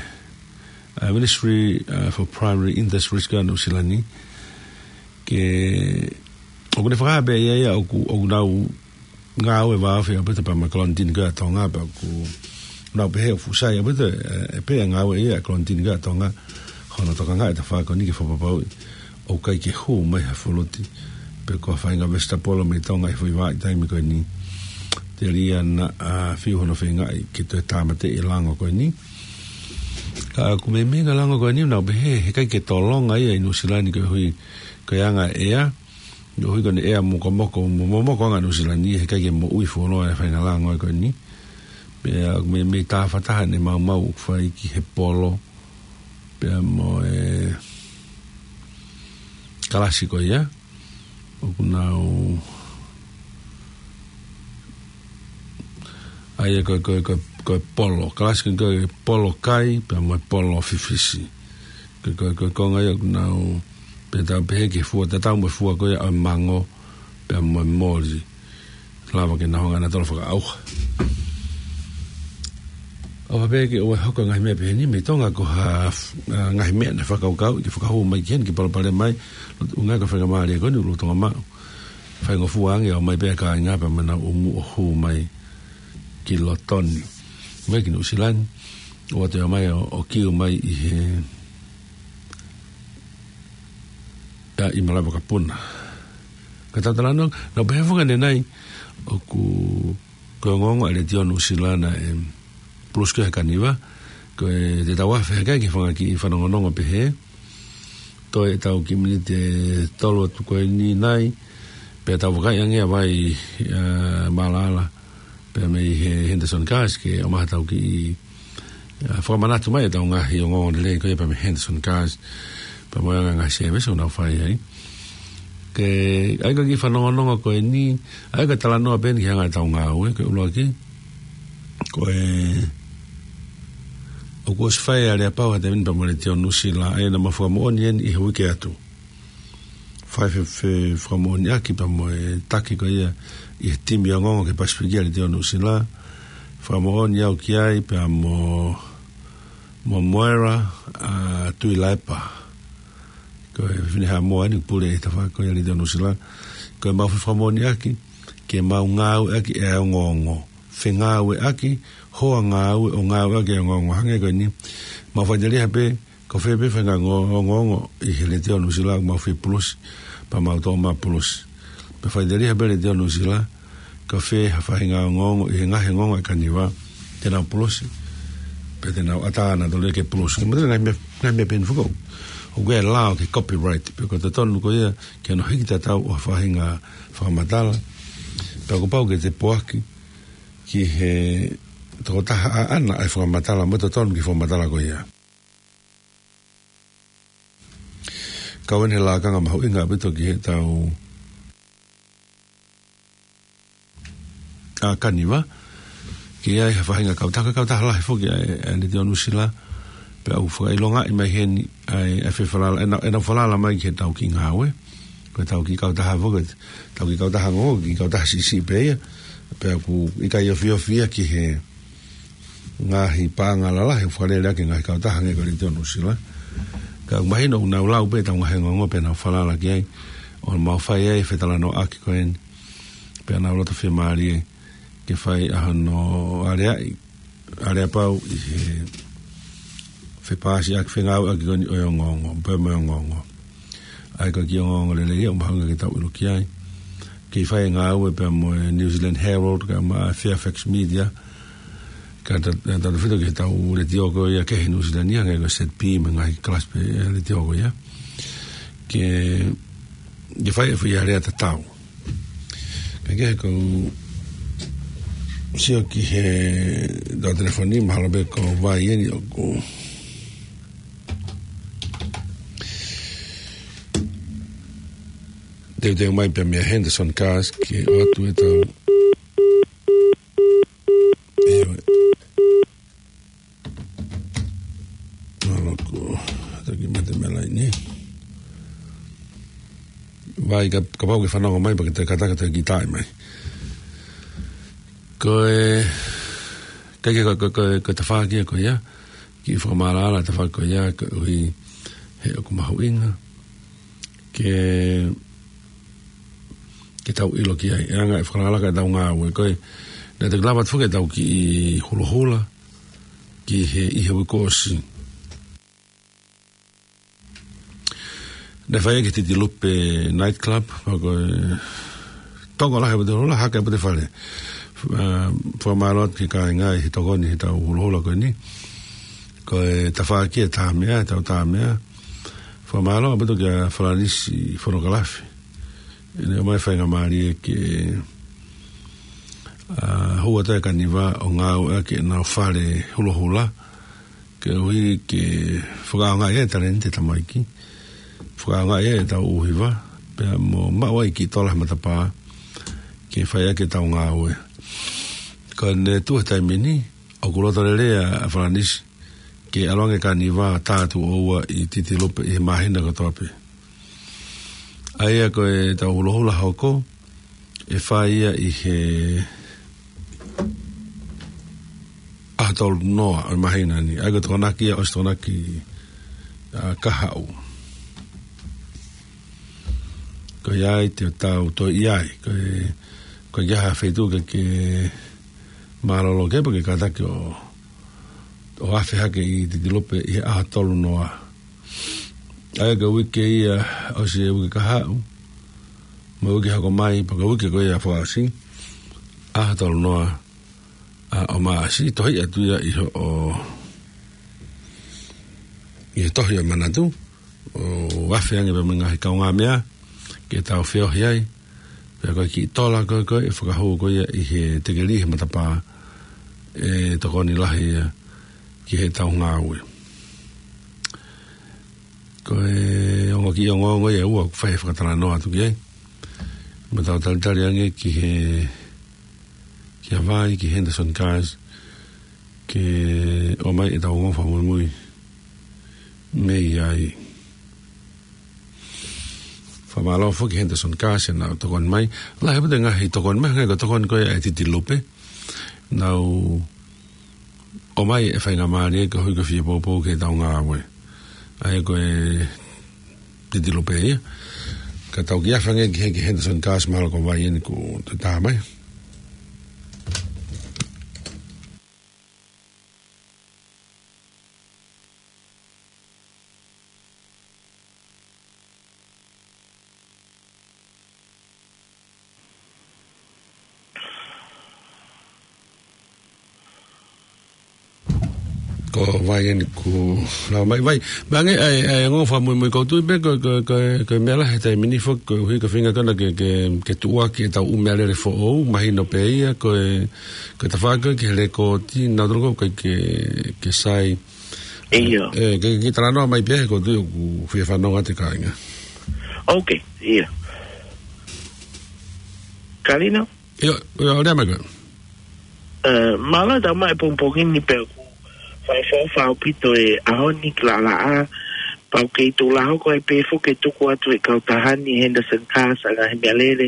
ʻa e Ministry, ʻa, for Primary Industries ko ē ʻa Nuʻusila ni, ke, ʻoku ne fakahā pē ʻe ia ia ʻoku, ʻoku nau ngāue vāofi ʻaupito pea mo e kolonitini ko ē ʻa Tonga, pea ʻoku nau pehē ʻoku fuʻu sai ʻaupito e, e, pē e ngāue ia ʻa e kolonitini ko ē ʻa Tonga, hono tokangaʻi e tafaʻaki ko eni ke fakapapauʻi ʻoku ʻikai ke hū mai ha fuluti pe ko ha faʻahinga vesitapolo mei Tonga ʻi he foʻi vahaʻa taimi ko eni. Telia naʻa, ʻa, fiu hono feingaʻi ke toe tāmateʻi e lango ko eni. ʻOku meimei ʻa e lango ko eni ʻoku nau pehē he ʻikai ke tolonga ia ʻi Nuʻusila ni koeʻuhi ko e anga ʻea. Koeʻuhi ko ʻene ʻea mokomoko, mo-, momoko ʻa Nuʻusila ni, he ʻikai ke moʻui fuoloa e faʻahinga lango ko eni. Pea ʻoku meimei tāfataha ʻene maumau ʻoku fai ki he polo. Pea mo e kalasi ko ia. ʻOku nau ʻai ko, ko, ko, ko e polo. Kalasi ko e polo kai, pea mo e polo fifisi. Ko, ko, ko, ko e konga ia ʻoku nau pehē, tau pehē ki he fua, tatau mo e fua ko ia ʻo e mango, pea mo e moli. Lava ke nau hanga ʻo tolo fakaʻauha. ʻOfa pē ke ʻoua ʻe hoko e ngaahi meʻa pehē ni mei Tonga ko ha, ʻa, ngaahi meʻa naʻe fakakaukau ke fakahū mai ki heni ke palopalema mai. Loto unga ko e faingamālie ko eni ʻoku lolotonga maʻu. Faingofua ange ʻo ʻomai pē ʻa e kāinga pea mo ʻenau ʻumu ʻo hū mai ki loto ni. Mai ki Nuʻusila ni. ʻOatu ia mai ʻo, ʻo kiu mai ʻi he, ʻa, ʻi Malaʻe Vakapuna. Ka tau talanoa, nau pehē foki ʻanenai, ʻoku, ko e ongoongo ʻa e Letiō Nuʻusila naʻe pulusi ko ē he kaniva, ko e te tau afe hake ki he fanga kiʻi fanongonongo pehē, toe ʻetau kiʻi miniti ʻe tolu atu ko eni nai, pea tau vakai ange ʻa Vai, ʻa, Malaʻala, pea mei he Henderson Cars ke ʻomai haʻatau kiʻi, ʻa, fakamanatu mai ʻetau ngaahi ongoongo lelei ko ia pea mei he Henderson Cars, pea mo e anga e ngaahi service ʻoku nau fai ai. Ke ʻai ko e kiʻi fanongonongo ko eni, ʻai ko e talanoa pē eni ki he anga ʻetau ngāue, ko e ʻuluaki. Ko e, ʻoku ʻosi fai ʻa e aleapau ha taimi ni pea mo e Letiō Nuʻusila, ʻa ia naʻa mau fakamoʻoni eni ʻi he uike atu. Fai fe, fe, fakamoʻoniʻaki pea mo e taki ko ia ʻi he timi ongoongo ki he Pasifiki ʻa e Letiō Nuʻusila. Fakamoʻoni au ki ai pea mo, mo Moera, ʻa, Tuilaepa. Ko e fefine Haʻamoa eni pule ʻi he tafaʻaki ko ia ʻa e Letiō Nuʻusila. Ko ʻemau fefakamoʻoniʻaki, ke mau ngāueʻaki e ongoongo. Fengāueʻaki, hoa ngāue ʻo ngāueʻaki e ongoongo. Hangē ko eni, mau faʻiteliha pē, ko fē pē faʻahinga ongo-, ongoongo ʻi he Letiō Nuʻusila ʻoku mau fie pulusi, pea mau toʻo mai pulusi. Pea faʻiteliha pē Letiō Nuʻusila, ko fē ha faʻahinga ongoongo ʻi he ngaahi ongoongo ʻa e kaniva, te nau pulusi. Pea te nau ʻatā nautolu ia ke pulusi. Ko e mate ngaahi meʻa, ngaahi meʻa pehē ni foki ʻoku ʻi ai e lao ki he copyright. Pea ko e totonu ko ia ke nau hiki tatau ʻo ha faʻahinga fakamatala. Pea kuo pau ke te poaki ki he tokotaha ʻaʻana ʻa e fakamatala, mo e totonu ki he fakamatala ko ia. Kau eni he lakanga mahuʻinga ʻaupito ki heʻetau, ʻa, kaniva. Ke ʻi ai ha faʻahinga kautaha, kautaha lahi foki ʻa e, ʻa e Letiō Nuʻusila. Pea ʻoku fakaʻilongaʻi mai heni ʻa e, ʻa e fefalala, ʻenau, ʻenau falala mai ki heʻetau kiʻi ngāue. Ko ʻetau kiʻi kautaha foki, ʻetau kiʻi kautaha ongoongo, kiʻi kautaha siʻisiʻi pē ia. Pea ʻoku ʻikai ofiofi ia ki he ngaahi paʻanga lalahi ʻoku fakalele ʻaki e ngaahi kautaha hangē ko e Letiō Nuʻusila. Ka ʻoku mahino ʻoku nau lau pē ʻetau ngaahi ongoongo pea nau falala ki ai. ʻO mau fai ai e fetalanoaʻaki ko eni. Pea nau loto fiemālie ke fai ʻa hono aleaʻi, aleapau ʻi he fepaasiʻaki, fengāueʻaki ko eni ʻo e ongoongo, pea mo e ongoongo. ʻA ia ko e kiʻi ongoongo lelei ia ʻoku mahuʻinga ke tau ʻilo ki ai. Kei fai e ngāue pea mo e New Zealand Herald, kae ʻumaʻā Fairfax Media, kae ta-, tautefito ki heʻetau letiō ko ia kehe ʻi Nuʻusila ni, hangē ko e Z P, mo e ngaahi kalasi pē ʻa e letiō ko ia. Ke, ke fai e foʻi alea tatau. Kae kehe ʻoku ou sio ki heʻetau telefoni, mahalo pē ko Vai eni ʻoku teuteu mai pē mei Henderson Cars ke ʻoatu ʻetau. ʻIo. Mahalo ko, taki mate mei laine. Vai ka, kapau ke fanongo mai, pea ke te kātaki ʻo kiʻi taaʻi mai. Ko e, ʻikai ke ko, ko, ko, ko e tafaʻaki ia ko ia, kiʻi fakamaʻalaʻala e tafaʻaki ko ia, koeʻuhi he ʻoku mahuʻinga ke, ke tau ʻilo ki ai, e anga e fakalakalaka ʻetau ngāue, ko e, naʻe toki lava atu foki ʻetau kiʻi hulohula, ki he, ʻi he uike kuo ʻosi. Naʻe fai ki he Titilupe Night Club, pea ko e tokolahi ʻa e pote hulohula, hake ʻa e pote fale. Ā, fakamālō atu ki he kāinga ʻi he tokoni heʻetau hulohula ko eni. Ko e tafaʻaki e Tāmea, e tau Tāmea. Fakamālō ʻaupito kia Falanisi Fonokalafi. ʻEne ʻomai faingamālie ke, ʻa, hū atu e kaniva ʻo ngāueʻaki ʻenau fale hulohula. Ke ui ke fakaʻaongaʻi e talēniti e tamaiki. Fakaʻaongaʻi e tau ʻū hiva. Pea mo maʻu ai kiʻi tola he matapā. Ke fai ʻaki e tau ngāue. Ka ne tuʻu he taimi ni, ʻoku loto lelei ʻa Falanisi ke ʻalu ange e kaniva tā tuʻo ua ʻi Titilupe ʻi he māhina kotoa pē. ʻA ia ko e tau hulohula hoko, ʻe fai ia ʻi he ʻaho tolu noa ʻo e māhina ni. ʻA ia ko e Tokonaki ia, ʻosi Tokonaki, ʻa, kahaʻu. Ko ia ai te tau toe ʻi ai. Ko e, ko e ʻikai ha feituʻu ke, ke mālōlō ke pē ke kātaki ʻo, ʻo afe hake ʻi Titilupe ʻi he ʻaho tolu noa. ʻA ia ko e uike ia ʻosi e uike kahaʻu. Mo e uike hoko mai, pea ko e uike ko ia fakaʻosi. ʻAho tolu noa, ʻa, ʻo Maʻasi, tohi atu ia ʻi hoʻo, ʻi he tohi ʻo e manatu, ʻo afe ange pē mo e ngaahi kaungāmeʻa, ke tau feohi ai, pea ko e kiʻi tola ko ē, ko ē, ʻe fakahū ko ia ʻi he tekeli he matapā, ʻe tokoni lahi ia ki he tau ngāue. Ko e ongo kiʻi ongoongo ia ʻe ua ʻoku fai e fakatalanoa atu ki ai. Mo tau talitali ange ki he, ki Hawaii, ki Henderson Cars, ke ʻomai e tau ongo fakamuimui mei ai. Fakamālō foki Henderson Cars ʻenau tokoni mai. Lahi ʻaupito e ngaahi tokoni mai, ngaahi ko e tokoni ko ē ʻa e Titilupe. Nau ʻomai e faingamālie ko e hui ko e fie poupou ke tau ngāue. ʻA ia ko e Titilupe ia. Ka tau kiʻi afe ange ki he, ki Henderson Cars, mahalo ko Vaieni kuo toe tā mai. Ko Vaieni kuo lava mai. Vai, meʻa ange, ʻa e, ʻa e ongo fakamuimui ʻoku ou tui pē ko, ko, ko, ko e meʻa lahi he taimi ni foki, koeʻuhi ko e feinga ko ena ke, ke, ke tuʻuaki e tau ʻū meʻalele foʻou, mahino pē ia, ko e, ko e tafaʻaki ki he lekooti, nautolu ʻoku ʻikai ke, ke sai. ʻIo. ʻE, ke, ke talanoa mai pē, ʻoku ou tui ʻoku fie fanongo atu e kāinga. Ok, ʻio. Kalino? ʻIo, ʻio, lea mai koe. ʻE, mālō e tau mai pongipongi ni pea ʻoku fakaʻofoʻofa ʻaupito e ʻaho ni ki Laʻalaʻā. Pea ʻoku kei tuʻu lā hoko ai pē foki e tuku atu e kautaha ni Henderson Cars ʻa e ngaahi meʻalele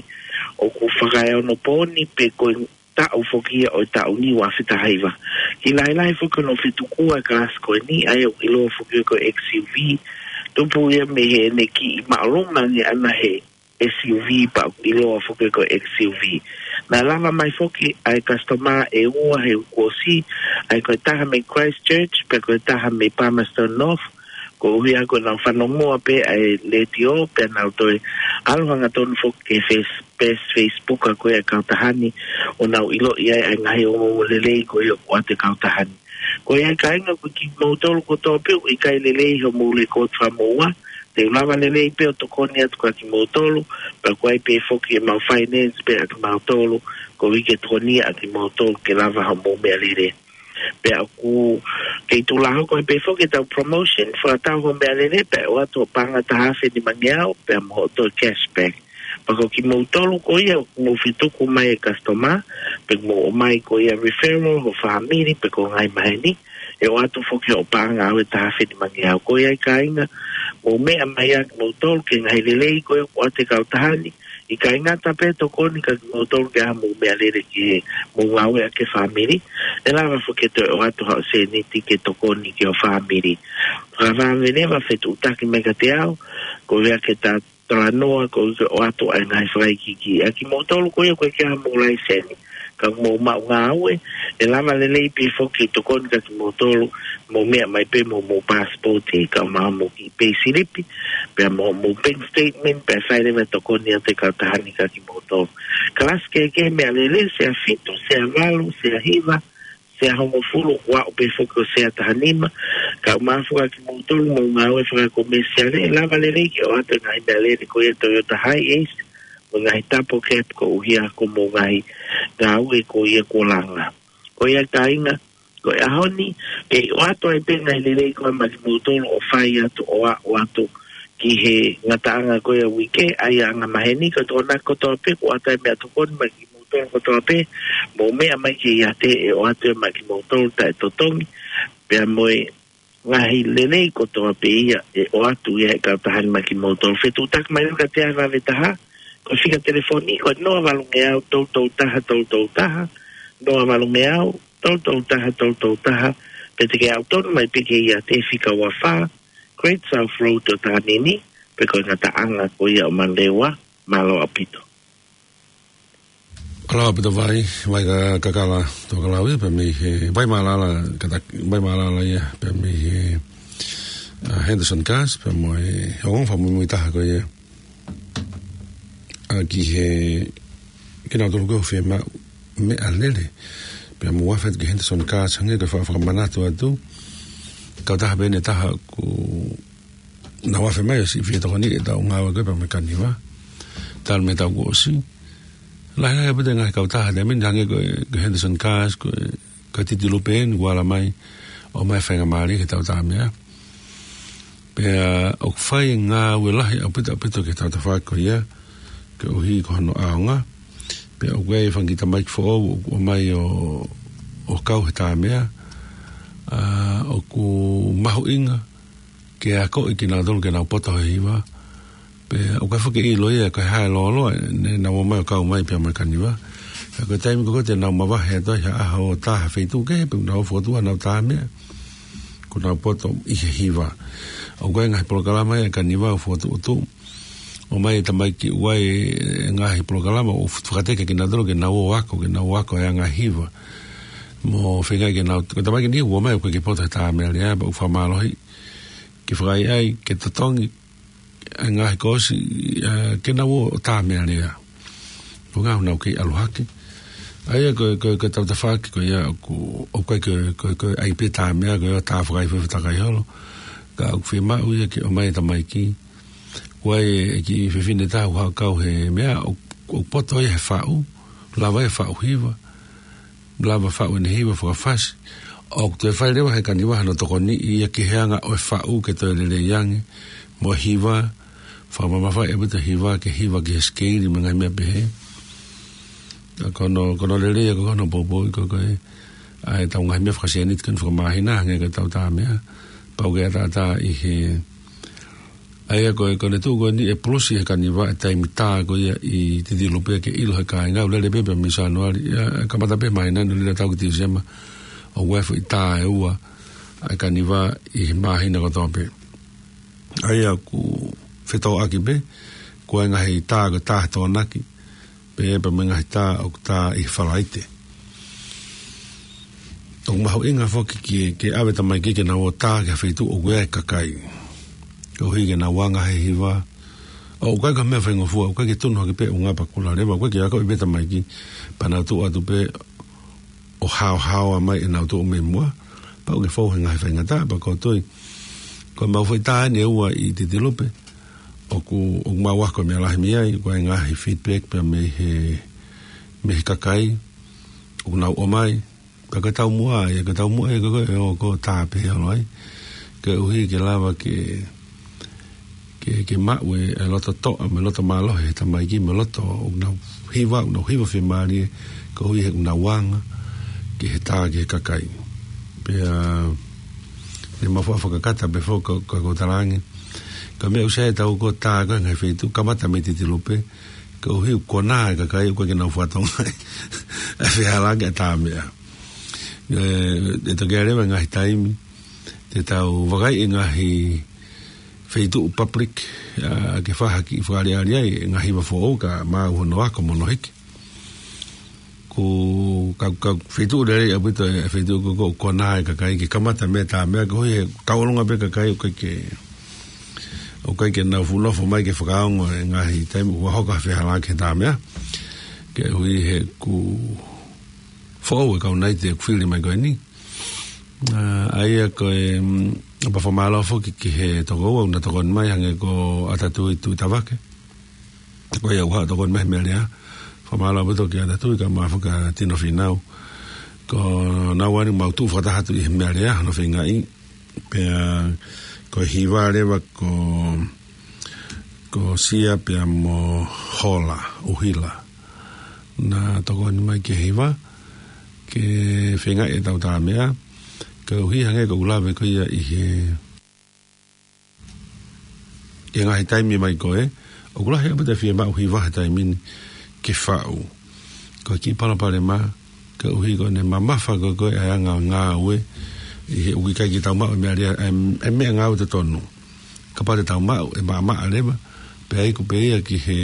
ʻoku fakaeonopooni pe ko e taʻu foki ia ʻo e taʻu ni ua afe taha hiva. Kiʻi lahilahi foki hono fetuku ʻa e kalasi ko eni, ʻa ia ʻoku ʻiloa foki ko e X U V. Tupu ia mei heʻene kiʻi māʻolunga ange ʻana he S U V pea ʻoku ʻiloa foki ko e X U V. Naʻe lava mai foki ʻa e customer ʻe ua he uike kuo ʻosi, ʻa ia ko e taha mei Christchurch, pea ko e taha mei Palmerston North, koeʻuhi ko ʻenau fanongoa pē ʻa e letiō, pea nau toe ʻalu hangatonu foki ki he face-, page Facebook ʻa ko ē ʻa e kautaha ni, ʻo nau ʻiloʻi ai ʻa e ngaahi ongoongo lelei ko ia ʻoku ʻoatu ʻe he kautaha ni. Ko ia kāinga, ko kimoutolu kotoa pē ʻoku ʻikai lelei hoʻomou lekooti fakamoʻua, te u lava lelei pē ʻo tokoni atu kia kimoutolu, pea ʻoku ʻi ai pē foki ʻemau finance pē ʻa kimautolu, koeʻuhi ke tokoniʻi ʻa kimoutolu ke lava hoʻomou meʻalele. Pea ʻoku kei tuʻu lā hoko ai pē foki e tau promotion, fakatau hoʻo meʻalele, pea ʻoatu hoʻo paʻanga ʻe taha afe nimangeau, pea mo hoʻo toe cashback. Pea ko kimoutolu ko ia ʻoku mou fetuku mai e customer, pe mou ʻomai ko ia referral, hoʻo fāmili, pe ko e ngaahi maheni, ʻe ʻoatu foki hoʻo paʻanga ʻe taha afe nimangeau. Ko ia kāinga, mou meʻa mai ā kimoutolu ki he ngaahi lelei ko ia ʻoku ʻoatu ʻe he kautaha ni, ʻikai ngata pē tokoni kia kimoutolu ke ʻai haʻamou meʻalele ki he mou ngāueʻaki e fāmili, ʻe lava foki ke toe ʻoatu haʻo sēniti ke tokoni ki ho fāmili. Fakavave leva fetuʻutaki mai kiate au, koeʻuhi ke ta talanoa, koeʻuhi ke ʻoatu ʻa e ngaahi fakaikiiki. ʻA kimoutolu ko ia ʻoku ʻikai ke ʻi ai haʻamou laiseni, ka mou maʻu ngāue, ʻe lava lelei pē foki ke tokoni kia kimoutolu, mou meʻa mai pē mo hoʻomou passport, kae ʻumaʻā hoʻomou kiʻi payslip, pea mo hoʻomou bank statement, pea fai leva e tokoni atu ʻa e kautaha ni kia kimoutolu. Kalasi kehekehe meʻalele, sea fitu, sea valu, sea hiva, Sea hongofulu, ʻoku aʻu pē foki ʻo sea taha nima. Ka ʻoku mafuka kimoutolu mo e ngāue fakakomesiale, lava lelei ke ʻoatu e ngaahi meʻalele ko ia Toyota Hiace, mo e ngaahi double cab koeʻuhi ko hoʻomou ngaahi ngāue ko ia kuo langa. Ko ia kāinga, ko e ʻaho ni, kei ʻoatu ai pē ngaahi lelei ko ia maʻa kimoutolu ʻo fai atu ʻo aʻu atu ki he ngataʻanga ko ia uike, ʻa ia anga maheni, ko e tokonaki kotoa pē, kuo ʻoatu ai meʻatokoni maʻa kimoutolu kotoa pē, mou meʻa mai ke ʻiate ʻe ʻoatu ia maʻa kimoutolu taʻetotongi, pea mo e ngaahi lelei kotoa pē ia ʻe ʻoatu ia ʻe he kautaha ni maʻa kimoutolu. Fetuʻutaki mai ʻo ka te ava ve taha, ko e fika telefoni, ko e noa valu ngeau tolu tolu taha tolu tolu taha, noa valu ngeau tolu tolu taha tolu tolu taha, pe te ke aʻu tonu mai pē ke ʻiate fika ua fā, Great South Road ʻo Tahanini, pe ko e ngataʻanga ko ia ʻo Manurewa, mālō ʻaupito. Mālō ʻaupito Vai, Vai ka, Kakala, Tokelau ia, pea mei he, Vai Mālala, kata, Vai Mālala ia, pea mei he, ʻa, Henderson Cars, pea mo e, ongo fakamuimui taha ko ia. ʻA ki he, kinautolu ko e fiemaʻu meʻalele. Pea mo e afe ki he Henderson Cars, hangē ko e fa-, fakamanatu atu. Kautaha pē ʻe taha kuo nau afe mai ʻo siʻi fie tokoni ʻetau ngāue ko ia pea mo e Kaniva. Talu mei he taʻu kuo ʻosi. Lahi lahi ʻaupito e ngaahi kautaha, te meni hangē ko e, ko e Henderson Cars, ko e, ko e Titi Lupe eni, kuo ala mai, ʻomai faingamālie ke tau tā meʻa. Pea ʻoku fai ngāue lahi ʻaupito, ʻaupito ki he tautafaʻaki ko ia, koeʻuhi ko hono ʻaonga. Pea ʻoku ʻi ai e fanga kiʻi tamaiki foʻou, ʻoku ʻomai ʻo, ʻo kau he tā meʻa, ʻa, ʻoku mahuʻinga, ke akoʻi kinautolu ke nau poto he hiva. Pea ʻoku ʻikai foki ke ʻilo ia ko e hā e lōloa, ne nau ō mai ʻo kau mai pea mo e Kaniva. Ka ko e taimi ko ē te nau mavahe atu ai ha ʻaho ʻo tā ha feituʻu kehe pe nau fokotuʻu hanau tā meʻa. Kuo nau poto ʻi he hiva. ʻOku ʻi ai e ngaahi polokalama ia ʻa e Kaniva ʻoku fokotuʻutuʻu. ʻOmai e tamaiki ʻoku ʻi ai e ngaahi polokalama ʻoku fakateke kinautolu ke nau ō ako, ke nau ō ako e anga hiva. Mo feinga ke nau, ko e tamaiki ni ʻoku ō mai ʻoku ʻikai ke poto he tā meʻa lea, pea ʻoku fakamālohi. Ke fakaʻaiʻai, ke totongi, ʻa e ngaahi kōsi, ʻa, ke nau ō tā meʻa lea. Ko e ʻuhinga ʻoku nau kei ʻalu hake. ʻA ia ko e, ko e, ko e tautafaʻaki ko ia ʻoku, ʻoku ʻikai ko e, ko e, ko e ʻai pē tā meʻa, ko e tā fakaifo, fakaifo takai holo. Ka ʻoku fiemaʻu ia ke ʻomai e tamaiki. Ko e kiʻi fefine taha ʻoku haʻu ʻo kau he meʻa, ʻoku, ʻoku poto ia he faʻu, lava ia faʻu hiva. Lava faʻu ʻene hiva fakafasi. ʻOku toe fai leva ʻe he Kaniva hano tokoniʻi ia ki he anga ʻo e faʻu ke toe lelei ange. Mo e hiva, fakamamafaʻi ʻaupito e hiva, ke hiva ki he sikeili mo e ngaahi meʻa pehē. ʻA ko hono, ko hono lelei ia ko hono poupou ko ē. ʻA ʻetau ngaahi meʻa fakasēniti ko eni fakamāhina, hangē ko ʻetau tā meʻa. Pau ke ʻataʻatā ʻi he ʻA ia ko e, ko ʻene tuʻu ko eni ʻe pulusi ʻe he Kaniva e taimi tā ko ia ʻi Titi Lupe ke ʻilo ʻe he kāinga, ʻoku lele pē pea mei Sānuali, ʻa, kamata pē māhina ni ʻo lele atu ki Tīsema, ʻoku ʻi ai e foʻi tā ʻe ua ʻa e Kaniva ʻi he māhina kotoa pē. ʻA ia ʻoku fetōʻaki pē, ko e ngaahi tā ko e tā he Tokonaki, pea pea mo e ngaahi tā ʻoku tā ʻi he Falaite. ʻOku mahuʻinga foki ke, ke ʻave tamaiki ke nau ō tā ki ha feituʻu ʻoku ʻi ai e kakai. Koeʻuhi ke nau anga he hiva. ʻOku ʻikai ko ha meʻa faingofua, ʻoku ʻikai ke tunu hake pē ʻo ngapa kula leva, ʻoku ʻikai ke akoʻi pē tamaiki, pea nau tuʻu atu pē ʻo haohaoa mai ʻenau tuʻu mei muʻa, pea ʻoku ke fou he ngaahi faingataʻa, pea ko e tui. Ko e mau foʻi tā eni ʻe ua ʻi Titi Lupe, ʻoku, ʻoku mau ako e meʻa lahi mei ai, ko e ngaahi feedback pea mei he, mei he kakai, ʻoku nau ʻomai, pea ko e taumuʻa ia, ko e taumuʻa ia ko e, ko e, ʻo, ko e tā pē holo ai, koeʻuhi ke lava ke, ke, ke maʻu e, e loto toʻa, mo e loto mālohi he tamaiki, mo e loto ʻoku nau hiva, ʻoku nau hiva fiemālie, koeʻuhi he ʻoku nau anga, ki he tā, ki he kakai. Pea, ne mau faʻa fakakata pē foki, ka, ka, ka u talaange. Ko e meʻa ʻoku sai ʻetau ko e tā ko e ngaahi feituʻu, kamata mei Titi Lupe, koeʻuhi ʻoku konā e kakai, ʻoku ʻikai ke nau fakatonga ʻa e fehālaaki ʻa e tā meʻa. ʻE, ʻe toki ʻi ai leva e ngaahi taimi, te tau vakai e ngaahi feituʻu public, ʻa, ke fai ha kiʻi fakaʻaliʻali ai, e ngaahi hiva foʻou ka maʻu hono ako mo hono hiki. Ko e, ka, ka feituʻu lelei ʻaupito e feituʻu ko, ko, konā e kakai ke kamata mei he tā meʻa koeʻuhi he kau ʻolunga pē kakai ʻoku ʻikai ke, ʻoku ʻikai ke nau fuʻu nofo mai ke fakaongo e ngaahi taimi ʻoku hoko ha fehālaaki he tā meʻa. Koeʻuhi he ʻoku foʻou e kau Naite ʻoku fili mai ko eni. ʻA, ʻa ia ko e, mm, pea fakamālō foki ki he tokoua naʻa tokoni mai hangē ko Atatui Tuʻitavake. Ko ia ʻoku tokoni mai he meʻa lea. Fakamālō ʻaupito kia Atatui kae ʻumaʻā foki ʻa Tino Finau. Ko naua eni ʻoku mau tuʻu fakataha atu ʻi he meʻa lea, hono feingaʻi. Pea ko e hiva leva ko, ko Sia pea mo Hola, ʻUhila. Naʻa tokoni mai ki he hiva, ke feingaʻi ʻetau tā meʻa, koeʻuhi hangē ko ʻeku lave ko ia ʻi he, ʻi he ngaahi taimi mai ko ē, ʻoku lahi ʻaupito e fiemaʻu hiva he taimi ni ke faʻu. Ko e kiʻi palopalema, koeʻuhi ko ʻene mamafa ko ē ko ē ʻa e anga ngāue, ʻi he ʻoku ʻikai ke tau maʻu e meʻa lea, e, e meʻangāue totonu. Kapau te tau maʻu, ʻe maʻamaʻa leva, pea iku pē ia ki he,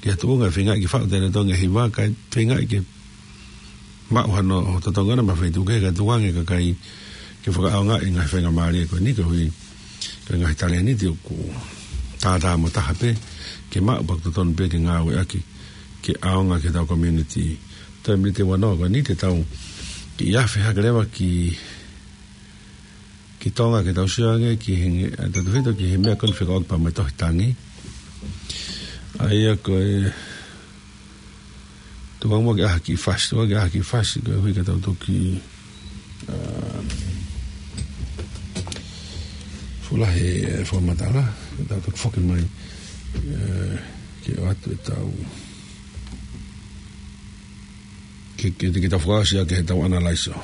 ki he tuʻunga ʻe feingaʻi ke faʻu ʻe Tonga e hiva, kae feingaʻi ke maʻu hano totongi ʻona mei he feituʻu kehe kae tukuange e kakai ke fakaʻaongaʻi e ngaahi faingamālie ko eni koeʻuhi ko e ngaahi talēniti ʻoku tātā mo taha pē ke maʻu pea ʻoku totonu pē ke ngāueʻaki ke ʻaonga ki heʻetau community. Toe miniti ua noa ko eni te tau kiʻi afe hake leva ki, ki Tonga ke tau sio ange ki he, ʻa, tau tufito ki he meʻa ko eni fekauʻaki pea mo e tohi tangi. ʻA ia ko e Tuku muʻa ke ʻaha kiʻi fasi, tuku ke ʻaha kiʻi fasi, koeʻuhi ka tau toki, ā, fulahi e fakamatala, ka tau toki foki mai, ā, ke ʻoatu ʻetau, ke, ke, ke tau fakaʻosi ʻaki ʻetau analyze.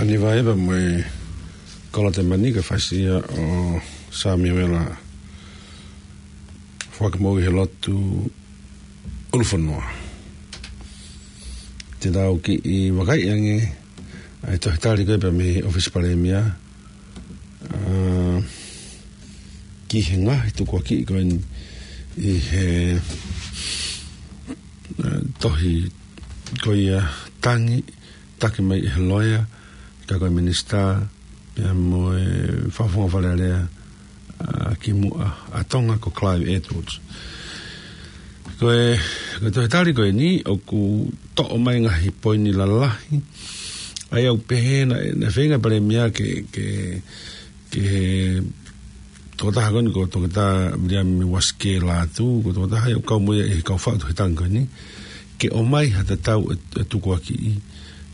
Niva Eva mo e Kolotemani, ka fasi ia ʻo Samiuela Fuakimoʻui he lotu ʻUlufonua. Te tau kiʻi vakai ange ʻa e tohi tali ko ē pea mei he ʻOfisi Palēmia, ʻa, ki he ngaahi tukuakiʻi ko eni ʻi he, ʻa, tohi ko ia tangi, taki mai ʻe he loea, ka ko e minisitā, pea mo e Fakafofonga Fale Alea, ʻa, ki muʻa ʻa Tonga ko Clive Edwards. Ko e, ko e tohi tali ko eni, ʻoku toʻo mai ngaahi poini lalahi, ʻa ia ʻoku pehē naʻe, naʻe feinga Palēmia ke, ke, ke tokotaha ko eni ko Toketā Viliami Uasikē Lātū, ko e tokotaha ia ʻoku kau mo ia ʻi he kau faʻu tohi tangi ko eni, ke ʻomai ha tatau ʻe, ʻe tukuakiʻi,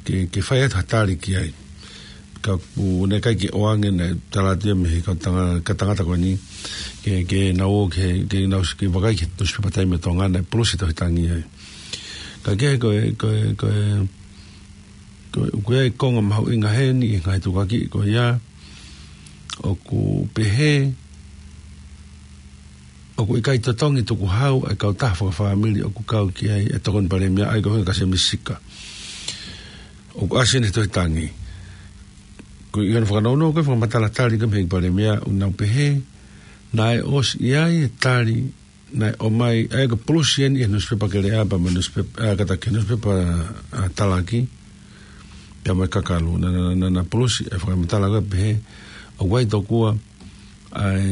ke, ke fai atu ha tali ki ai. Ka ʻoku ne ʻikai ke ʻoange, naʻe tala atu ia mei he kau tanga-, kau tangata ko eni, ke, ke nau ō, ke, ke nau s-, ke vakai ki he nusipepa taimi ʻo Tonga naʻe pulusi tohi tangi ai. Ka kehe ko e, ko e, ko e, ko e, ʻoku ʻi ai e konga mahuʻinga heni ʻi he ngaahi tukuakiʻi ko ia, ʻoku pehē, ʻoku ʻikai totongi tukuhau ʻa e kautaha fakafāmili ʻoku kau ki ai e Tokoni Palēmia, ʻa ia ko e ʻuhinga kia Semisi Sika. ʻOku ʻasi eni he tohi tangi. Ko e ʻi hono fakanounou ko e fakamatala tali ko ē mei he Palēmia, ʻoku nau pehē naʻe ʻosi ʻi ai e tali naʻe ʻomai, ʻa ia ko e pulusi eni ʻi he nusipepa Keleʻa pea mo e nusipepa, ʻa, kātaki, nusipepa, ʻa, Talaki, pea mo e Kakalu. Naʻa, naʻa, naʻa, naʻa pulusi e fakamatala ko ē pehē, ʻoku ʻi ai tokua ʻa e,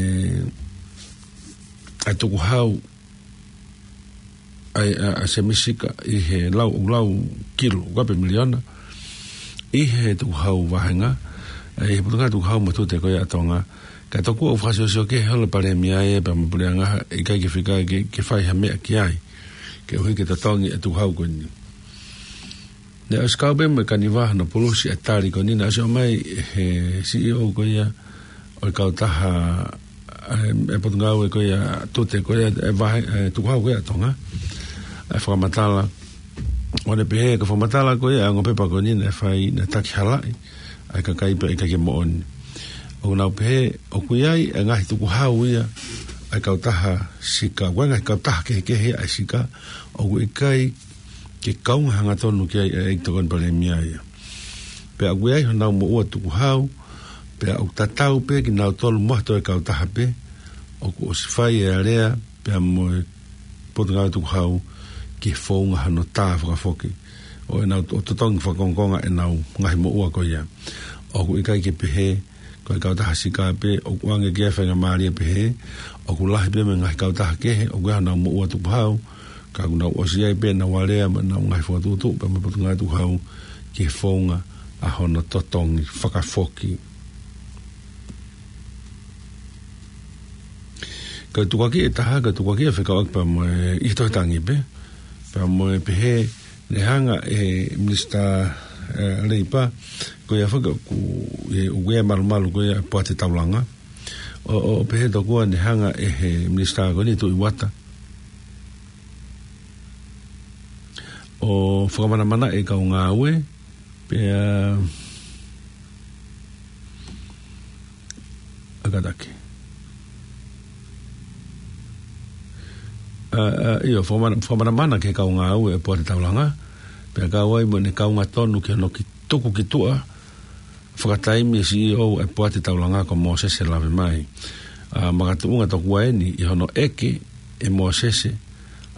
ʻa e tukuhau ʻa e, ʻa, ʻa Semisi Sika ʻi he lau, ʻoku lau kilu, ʻoku ʻape miliona, ʻi he tukuhau vāhenga, ʻa e, ʻi he Potungāue Tukuhau mo e Tute ko ia ʻa Tonga. Ka tokua ʻoku fakasiosio kehe holo e Palēmia ia pea mo e Puleʻanga, ʻikai ke fika ke, ke fai ha meʻa ki ai, koeʻuhi ke totongi e tukuhau ko eni. Naʻe ʻosi kau pē mo e Kaniva hono pulusi e tali ko eni, naʻe ʻosi ʻomai he C E O ko ia ʻo e kautaha, ʻa e, e Potungāue ko ia Tute ko ia, e vāhe-, e tukuhau ko ia ʻa Tonga, e fakamatala. ʻO ne pehē ko e fakamatala ko ia, ʻa e ongo pepa ko eni naʻe fai, naʻe taki halaʻi ʻa e kakai pea ʻikai ke moʻoni. ʻOku nau pehē, ʻoku ʻi ai e ngaahi tukuhau ia ʻa e kautaha Sika, ʻoku ʻi ai e ngaahi kautaha kehekehe ʻa e Sika, ʻoku ʻikai ke kaunga hangatonu ki ai ʻa e ʻEiki Tokoni Palēmia ia. Pea ʻoku ʻi ai honau moʻua tukuhau, pea ʻoku tatau pē kinautolu mo ha toe kautaha pē, ʻoku ʻosi fai e alea pea mo e Potungāue Tukuhau ki he founga hono tā fakafoki ʻo ʻenau to-, totongi fakakongokonga ʻenau ngaahi moʻua ko ia. ʻOku ʻikai ke pehē ko e kautaha Sika pē ʻoku ʻoange ki ai e faingamālie pehē, ʻoku lahi pē mo e ngaahi kautaha kehe ʻoku ʻi ai honau moʻua tukuhau, ka ʻoku nau ʻosi ʻi ai pē ʻenau alea mo ʻenau ngaahi fokotuʻutuʻu pea mo e Potungāue Tukuhau ki he founga ʻa hono totongi fakafoki. Ko e tukuakiʻi ʻe taha, ko e tukuakiʻi ʻe fekauʻaki pea mo e, ʻi he tohi tangi pē, pea mo e pehē, naʻe hanga ʻe he Minisitā, ʻe, Leipa, ko ia faka-, ʻoku, ʻe, ʻoku ʻi ai e malumalu ko ia e Poate Taulanga. ʻO, ʻo, ʻo pehē tokua naʻe hanga ʻe he Minisitā ko eni Tuʻi Uata ʻo fakamanamanaʻi e kau ngāue, pea, ʻa, kātaki. ʻA, ʻa, ʻio, fakamana-, fakamanamana ki he kau ngāue e Poate Taulanga, pea kau ai mo ʻene kaunga tonu ki hono ki-, tuku ki tuʻa fakataimi e C E O e Poate Taulanga ko Mōsese Lavemai. ʻA, makatuʻunga tokua eni ʻi hono ʻeke ʻe Mōsese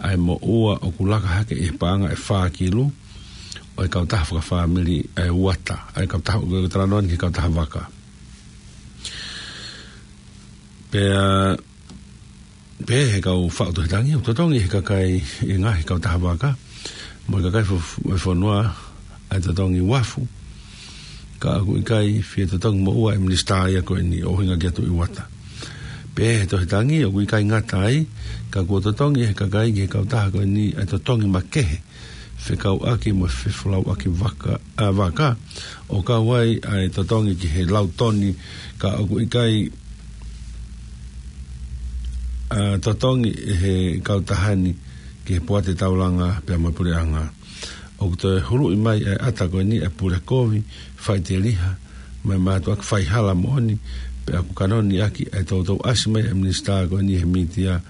ʻa e moʻua ʻoku laka hake ʻi he paʻanga ʻe fā kilu ʻo e kautaha fakafāmili ʻa e Uata, ʻa e kautaha, ʻoku talanoa eni ki he kautaha vaka. Pea, pehē ʻe he kau faʻu tohi tangi, ʻoku totongi ʻe he kakai ʻi he ngaahi kautaha vaka mo e kakai fo-, fo-, fonua ʻa e totongi uafu, ka ʻoku ʻikai fie totongi moʻua e minisitā ia ko eni ʻo ʻuhinga kia Tuʻi Uata. Pehē ʻe he tohi tangi, ʻoku ʻikai ngata ai, ka kuo totongi ʻe he kakai ki he kautaha ko eni ʻa e totongi makehe fekauʻaki mo e fefolauʻaki vaka, ʻa, vaka, ʻo kau ai ʻa e totongi ki he lau toni, ka ʻoku ʻikai, ʻa, totongi ʻe he kautaha ni ki he Poate Taulanga pea mo e Puleʻanga. ʻoku toe huluʻi mai e ʻata ko eni e pule kovi, faʻiteliha, mo e mātuʻaki faihala moʻoni, pea ʻoku kanoni ʻaki e toutou ʻasi mai e minisitā ko eni he mītia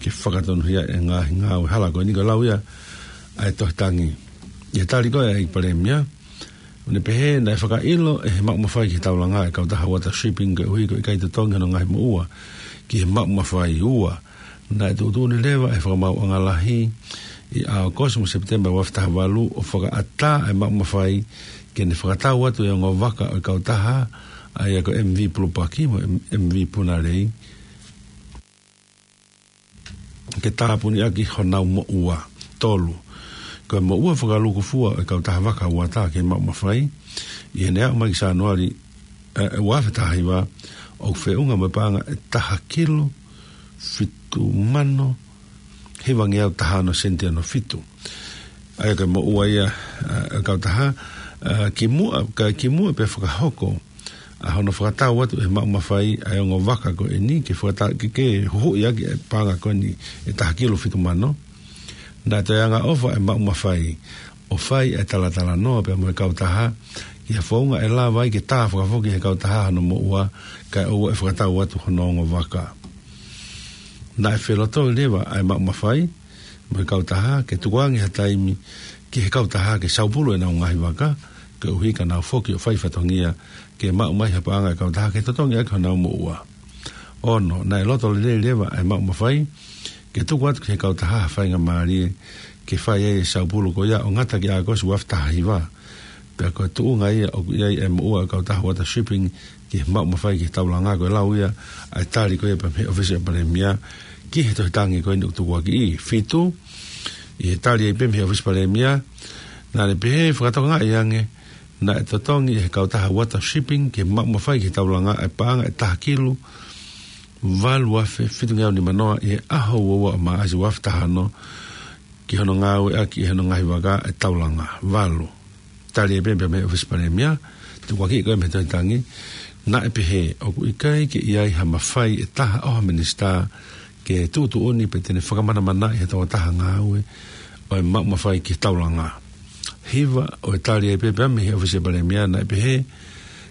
ke fakatonuhia e ngaahi ngāue hala ko eni. Ko e lau ia ʻa e tohi tangi. ʻI he tali ko ē ʻa e ʻEiki Palēmia, ʻo ne pehē naʻe fakaʻilo ʻe he maʻu mafai ki he taulanga e kautaha Water Shipping koeʻuhi ko e ʻikai totongi hono ngaahi moʻua ki he maʻu mafai. Ua, naʻe tuʻutuʻuni leva ʻe he Fakamaauʻanga Lahi ʻi ʻAokosi mo Sepitema ua afe taha valu ʻo fakaʻatā e maʻu mafai ke ne fakatau atu e ongo vaka ʻo e kautaha, ʻa ia ko e M V Pulupaki mo e M-, M V Punalei, ke tāpuni ʻaki honau moʻua. Tolu, ko e moʻua fakalūkufua ʻo e kautaha vaka uata ki he maʻu mafai, ʻi heʻene aʻu mai ki Sānuali, ē, ua afe taha hiva, ʻoku feʻunga mo e paʻanga ʻe taha kilu fitu mano hivangeau taha ono sēniti ono fitu. ʻA ia ko e moʻua ia, ē, ʻo e kautaha, ē, kimuʻa, kae kimuʻa pea fakahoko ʻa hono fakatau atu ʻe he maʻu mafai ʻa e ongo vaka ko eni ke fakata-, ke, ke huhuʻi ʻaki e paʻanga ko eni ʻe taha kilu fitu mano, naʻe toe angaʻofa e maʻu mafai ʻo fai e talatalanoa pea mo e kautaha ki he founga ʻe lava ai ke tā fakafoki ʻe he kautaha hono moʻua kae ʻoua ʻe fakatau atu hono ongo vaka. Naʻe felotoi leva ʻa e maʻu mafai mo e kautaha ke tukuange ha taimi ki he kautaha ke saupulu ʻenau ngaahi vaka, koeʻuhi ka nau foki ʻo fai fatongia ke maʻu mai ha paʻanga ʻa e kautaha ke totongi ʻaki honau moʻua. Ono, naʻe loto lelei leva ʻa e maʻu mafai ke tuku atu ki he kautaha ha faingamālie ke fai ai e saupulu ko ia ʻo ngata ki ʻAokosi ua afe taha hiva. Pea ko e tuʻunga ia ʻoku ʻi ai e moʻua ʻo e kautaha Water Shipping ki he maʻu mafai ki he taulanga. Ko e lau ia ʻa e tali ko ia pea mei he ʻOfisi ʻo e Palēmia ki he tohi tangi ko eni ʻoku tukuakiʻi. Fitu, ʻi he tali ai pē mei he ʻOfisi Palēmia, naʻa ne pehē fakatokangaʻi ange naʻe totongi ʻe he kautaha Water Shipping ki he maʻu mafai ki he taulanga e paʻanga ʻe taha kilu valu afe fitungeau nima noa ʻi he ʻaho ua ua ʻo Maʻasi ua afe taha ono ki hono ngāueʻaki ʻe hono ngaahi vaka e taulanga. Valu, tali ai pē mei he ʻOfisi Palēmia, tukuakiʻi ko ē mei he tohi tangi, naʻe pehē ʻoku ʻikai ke ʻi ai ha mafai ʻe taha ʻo ha minisitā ke tuʻutuʻuni pe te ne fakamanamanaʻi ha tokotaha ngāue ʻo e maʻu mafai ki he taulanga. Hiva, ʻo e tali ai pē mei he ʻOfisi Palēmia, naʻe pehē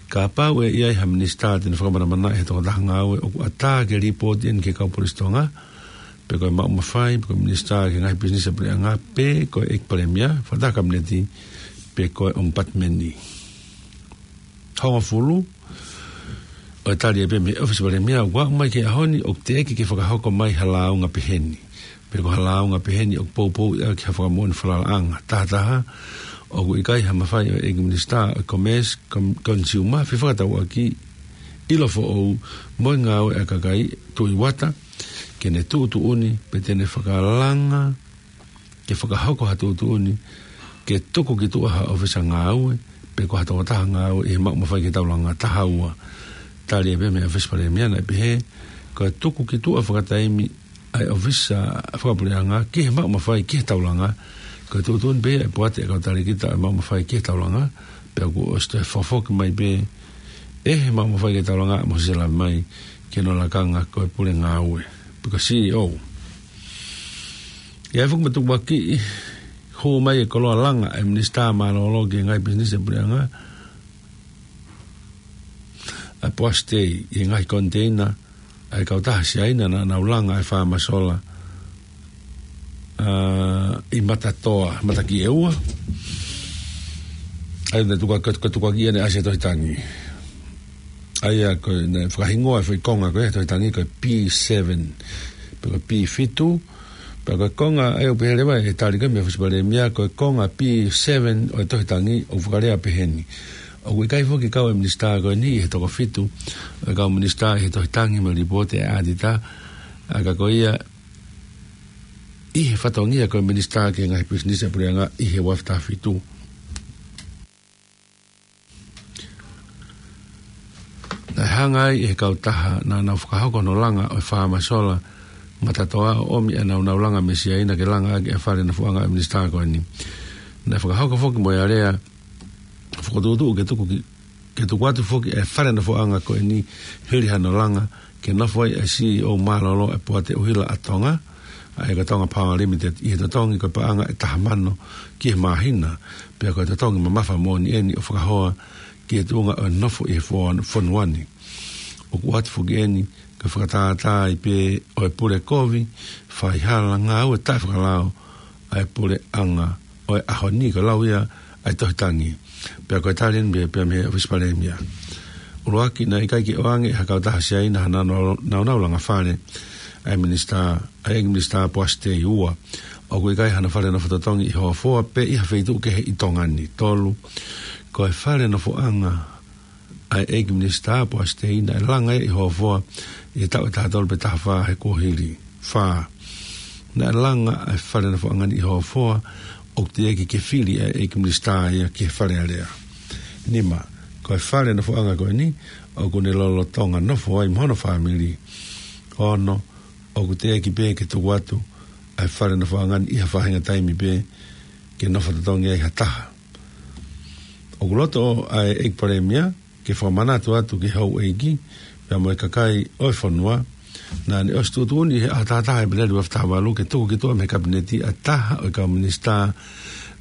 kapau ʻe ʻi ai ha minisitā te ne fakamanamanaʻi ha tokotaha ngāue, ʻoku ʻatā ke lipooti eni ki he kau Polisi Tonga, pe ko e maʻu mafai, pe ko e minisitā ki he ngaahi pisinisi ʻa e puleʻanga, pe ko e ʻEiki Palēmia, Fakataha Kapineti, pe ko e ʻOmipatimeni. Hongofulu, ʻo e tali ai pē mei he ʻOfisi Palēmia, ʻoku aʻu mai ki he ʻaho ni ʻoku teʻeki ke fakahoko mai ha lāunga peheni, pe ko ha lāunga peheni ʻoku poupouʻi ʻaki ha fakamoʻoni falalaʻanga. Taha taha, ʻoku ʻikai ha mafai ʻo e ʻEiki Minisitā ʻo e Commerce, Com-, Consumer, Fefakatauʻaki, ʻIlo Foʻou mo e Ngāue ʻa e Kakai, Tuʻi Uata, ke ne tuʻutuʻuni pe te ne fakalanga ke fakahoko ha tuʻutuʻuni ke tuku ki tuʻa ha ʻōfisa ngāue pe ko ha tokotaha ngāue ʻi he maʻu mafai ki he taulanga. Taha ua, tali ai pē mei he ʻOfisi Palēmia naʻe pehē ko e tuku ki tuʻa fakataimi ʻa e ʻōfisa fakapuleʻanga ki he maʻu mafai ki he taulanga, ko e tuʻutuʻuni pē ia ʻa e poate ʻa e kau talēkita ʻo e maʻu mafai ki he taulanga, pea kuo ʻosi toe fakafoki mai pē ʻe he maʻu mafai ki he taulanga ʻa Mōsese Lavemai ki hono lakanga ko e pule ngāue, pe ko e C E O. ʻI ai foki mo e tukuakiʻi hū mai e koloa langa ʻa e Minisitā Mālōlō ki he ngaahi pisinisi ʻa e puleʻanga, ʻa e Poasi Tei, ʻi he ngaahi koniteina ʻa e kautaha Siaina naʻa nau langa ʻa e faama sola, ā, ʻi Matatoa, Matakiʻeua. ʻA ia naʻe tuku, ko e, ko e tukuakiʻi ʻeni ʻa e Asia Tohi Tangi. ʻA ia ko e, naʻe fakahingoa e foʻi konga ko ē he Tohi Tangi ko e P seven, pe ko e P fitu, pea ko e konga ʻa ia ʻoku pehē leva ʻe he tali ko ē mei he ʻŌfisi Palēmia, ko e konga P seven ʻo e Tohi Tangi ʻoku fakalea peheni: ʻOku ʻikai foki kau e minisitā ko eni ʻi he toko fitu ʻo e kau minisitā ʻi he Tohi Tangi mo e lipooti ʻa e ʻaetitā, ʻa ia ka ko ia ʻi he fatongia ko e minisitā ki he ngaahi pisinisi ʻa e puleʻanga ʻi he ua afe taha fitu. Naʻe hanga ai ʻe he kautaha naʻa nau fakahoko hono langa ʻo e faama sola Matatoa ʻo ʻomi ʻenau nau langa mei Siaina ke langa ʻaki e fale nofoʻanga ʻo e minisitā ko eni. Naʻe fakahoko foki mo e alea fokotuʻutuʻu ke tuku ki, ke tuku atu foki e fale nofoʻanga ko eni hili hano langa ke nofo ai e C E O mālōlō ʻa e Poate ʻUhila ʻa Tonga, ʻa e ʻEkatonga Power Limited ʻi he totongi ko e paʻanga ʻe taha mano ki he māhina, pea ko e totongi mamafa moʻoni eni ʻo fakahoa ki he tuʻunga ʻo e nofo ʻi he fo-, fonua ni. ʻOku ʻoatu foki eni ko e fakatātā ai pē ʻo e pule kovi, faihala, ngāue taʻefakalao ʻa e puleʻanga ʻo e ʻaho ni, ko e lau ia ʻa e tohi tangi. Pea ko e tali eni pē, pea mei he ʻOfisi Palēmia. ʻUluaki, naʻe ʻikai ke ʻoange ʻe ha kautaha Siaina ha naunau, naunau langa fale ʻa e minisitā, ʻa e ʻEiki Minisitā Poasi Tei. Ua, ʻoku ʻikai hano fale nofo totongi ʻi Hofoa pe ʻi ha feituʻu kehe ʻi Tonga ni. Tolu, ko e fale nofoʻanga ʻa e ʻEiki Minisitā Poasi Tei naʻe langa ia ʻi Hofoa ʻi he taʻu ʻe taha tolu pe taha fā he kuohili. Fā, naʻe langa ʻa e fale nofoʻanga ni ʻi Hofoa ʻoku teʻeki ke fili ʻa e ʻEiki Minisitā ia ki he Fale Alea. Nima, ko e fale nofoʻanga ko eni ʻoku ne lolotonga nofo ai mo hono fāmili. Ono, ʻoku teʻeki pē ke tuku atu ʻa e fale nofoʻanga ni ʻi ha faʻahinga taimi pē ke nofo totongi ai ha taha. ʻOku loto ʻa e ʻEiki Palēmia ke fakamanatu atu ki he houʻeiki pea mo e kakai ʻo e fonua, naʻa ne ʻosi tuʻutuʻuni ʻi he ʻaho taha taha ʻo ʻEpeleli ua afe taha valu ke tuku ki tuʻa mei he Kapineti ʻa e taha ʻo e kau minisitā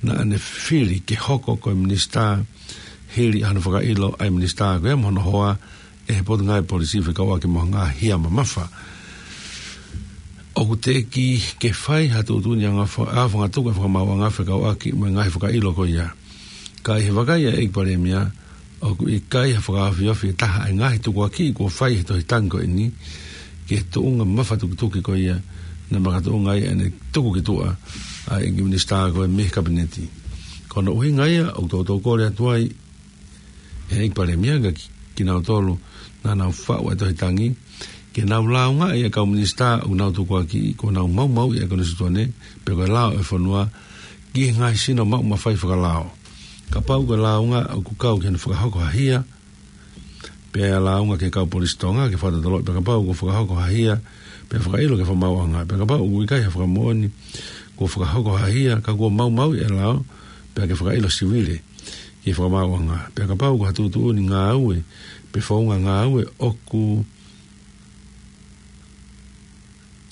naʻa ne fili ke hoko ko e minisitā hili hano fakaʻilo ʻa e minisitā ko ia mo hono hoa ʻe he Potungāue Polisi fekauʻaki mo e ngaahi hia mamafa. ʻOku teʻeki ke fai ha tuʻutuʻuni anga fa-, ʻa e fanga tuku ʻa e fakamaauʻanga fekauʻaki mo e ngaahi fakaʻilo ko ia. Ka ʻi he vakai ʻa e ʻEiki Palēmia, ʻoku ʻikai ha fakaofiofi ʻe taha ʻa e ngaahi tukuakiʻi kuo fai he tohi tangi ko eni ki he tuʻunga mafatukituki ko ia naʻe makatuʻunga ai ʻene tuku ki tuʻa ʻa e ʻEiki Minisitā ko ē mei he Kapineti. Ko hono ʻuhinga ia ʻoku toutou kole atu ai ʻe he ʻEiki Palēmia kia ki-, kinautolu naʻa nau faʻu ʻa e tohi tangi, ke nau lāungaʻi ʻa e kau minisitā ʻoku nau tukuakiʻi kuo nau maumauʻi ʻa e konisitūtone pe ko e lao ʻo e fonua ki he ngaahi sino maʻu mafai fakalao. Kapau ko e lāunga ʻoku kau ki hono fakahoko ha hia, pea lāunga ki he kau polisi Tonga ke fakatotoloʻi, pea kapau kuo fakahoko ha hia pea fakaʻilo ki he fakamaauʻanga, pea kapau ʻoku ʻikai ha fakamoʻoni kuo fakahoko ha hia ka kuo maumauʻi ʻe he lao, pea ke fakaʻilo siwile ki he fakamaauʻanga. Pea kapau ko ha tuʻutuʻuni ngāue pe founga ngāue ʻoku,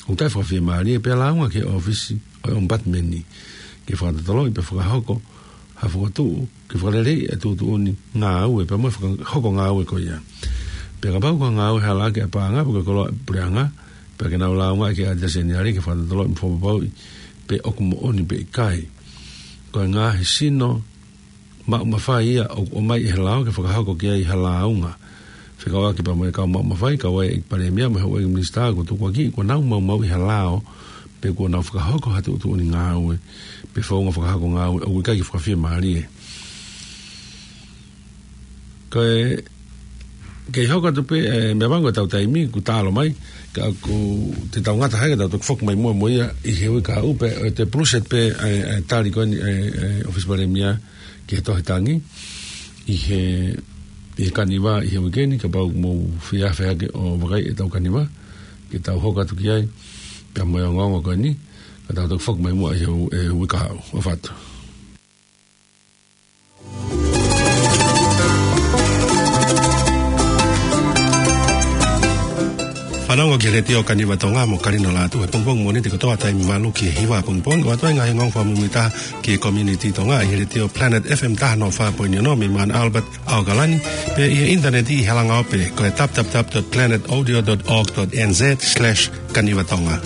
ʻoku taʻefiemālie, pea lāunga ki he ʻōfisi ʻo e ʻOmipatimeni ke fakatotoloʻi pea fakahoko ha fokotuʻu ke fakaleleiʻi ʻa e tuʻutuʻuni ngāue pea mo e fakahoko ngāue ko ia. Pea kapau ko ha ngāue halaaki ʻa e paʻanga pe ko e koloa ʻa e puleʻanga, pea ke nau lāungaʻi ki he ʻAteni Seniale ke fakatotoloʻi mo fakapapauʻi pe ʻoku moʻoni pe ʻikai. Ko e ngaahi sino maʻu mafai ia ʻoku ʻomai ʻe he lao ke fakahoko ki ai ha lāunga fekauʻaki pea mo e kau maʻu mafai, kau ai ʻa e ʻEiki Palēmia mo e houʻeiki minisitā kuo tukuakiʻi kuo nau maumauʻi ʻe he lao pe kuo nau fakahoko ha tuʻutuʻuni ngāue pe founga fakahoko ngāue ʻoku ʻikai ke fakafiemālie. Ko e, kei hoko atu pē, ē, meʻapango ʻetau taimi, kuo taʻalo mai, ka ʻoku te tau ngata hake, tau toki foki mai muʻa mo ia ʻi he uike kahaʻu pē, ʻe te puluset pē, ē, ē, tali ko eni, ē, ē, ʻOfisi Palēmia ki he tohi tangi ʻi he, ʻi he Kaniva ʻi he uike ni, kapau mou fie afe hake ʻo vakai ʻetau Kaniva, ke tau hoko atu ki ai, pea mo e ongoongo ko eni, ka tau toki foki mai muʻa ʻi he u-, ē, uike kahaʻu, ʻofa atu. Fanongo ki he Letiō Kaniva Tonga mo Kalino Lātū he pongipongi Mōnite kotoa taimi valu ki he hiva pongipongi, ʻoatu ai e ngaahi ongoongo fakamuimuitaha ki he community Tonga ʻi he Letiō Planet F M taha noa fā poini ono mei Mount Albert, ʻAokalani, pea ʻi he ʻinitaneti ʻi he halanga ope ko e w w w dot planet audio dot org dot n z slash kaniva tonga.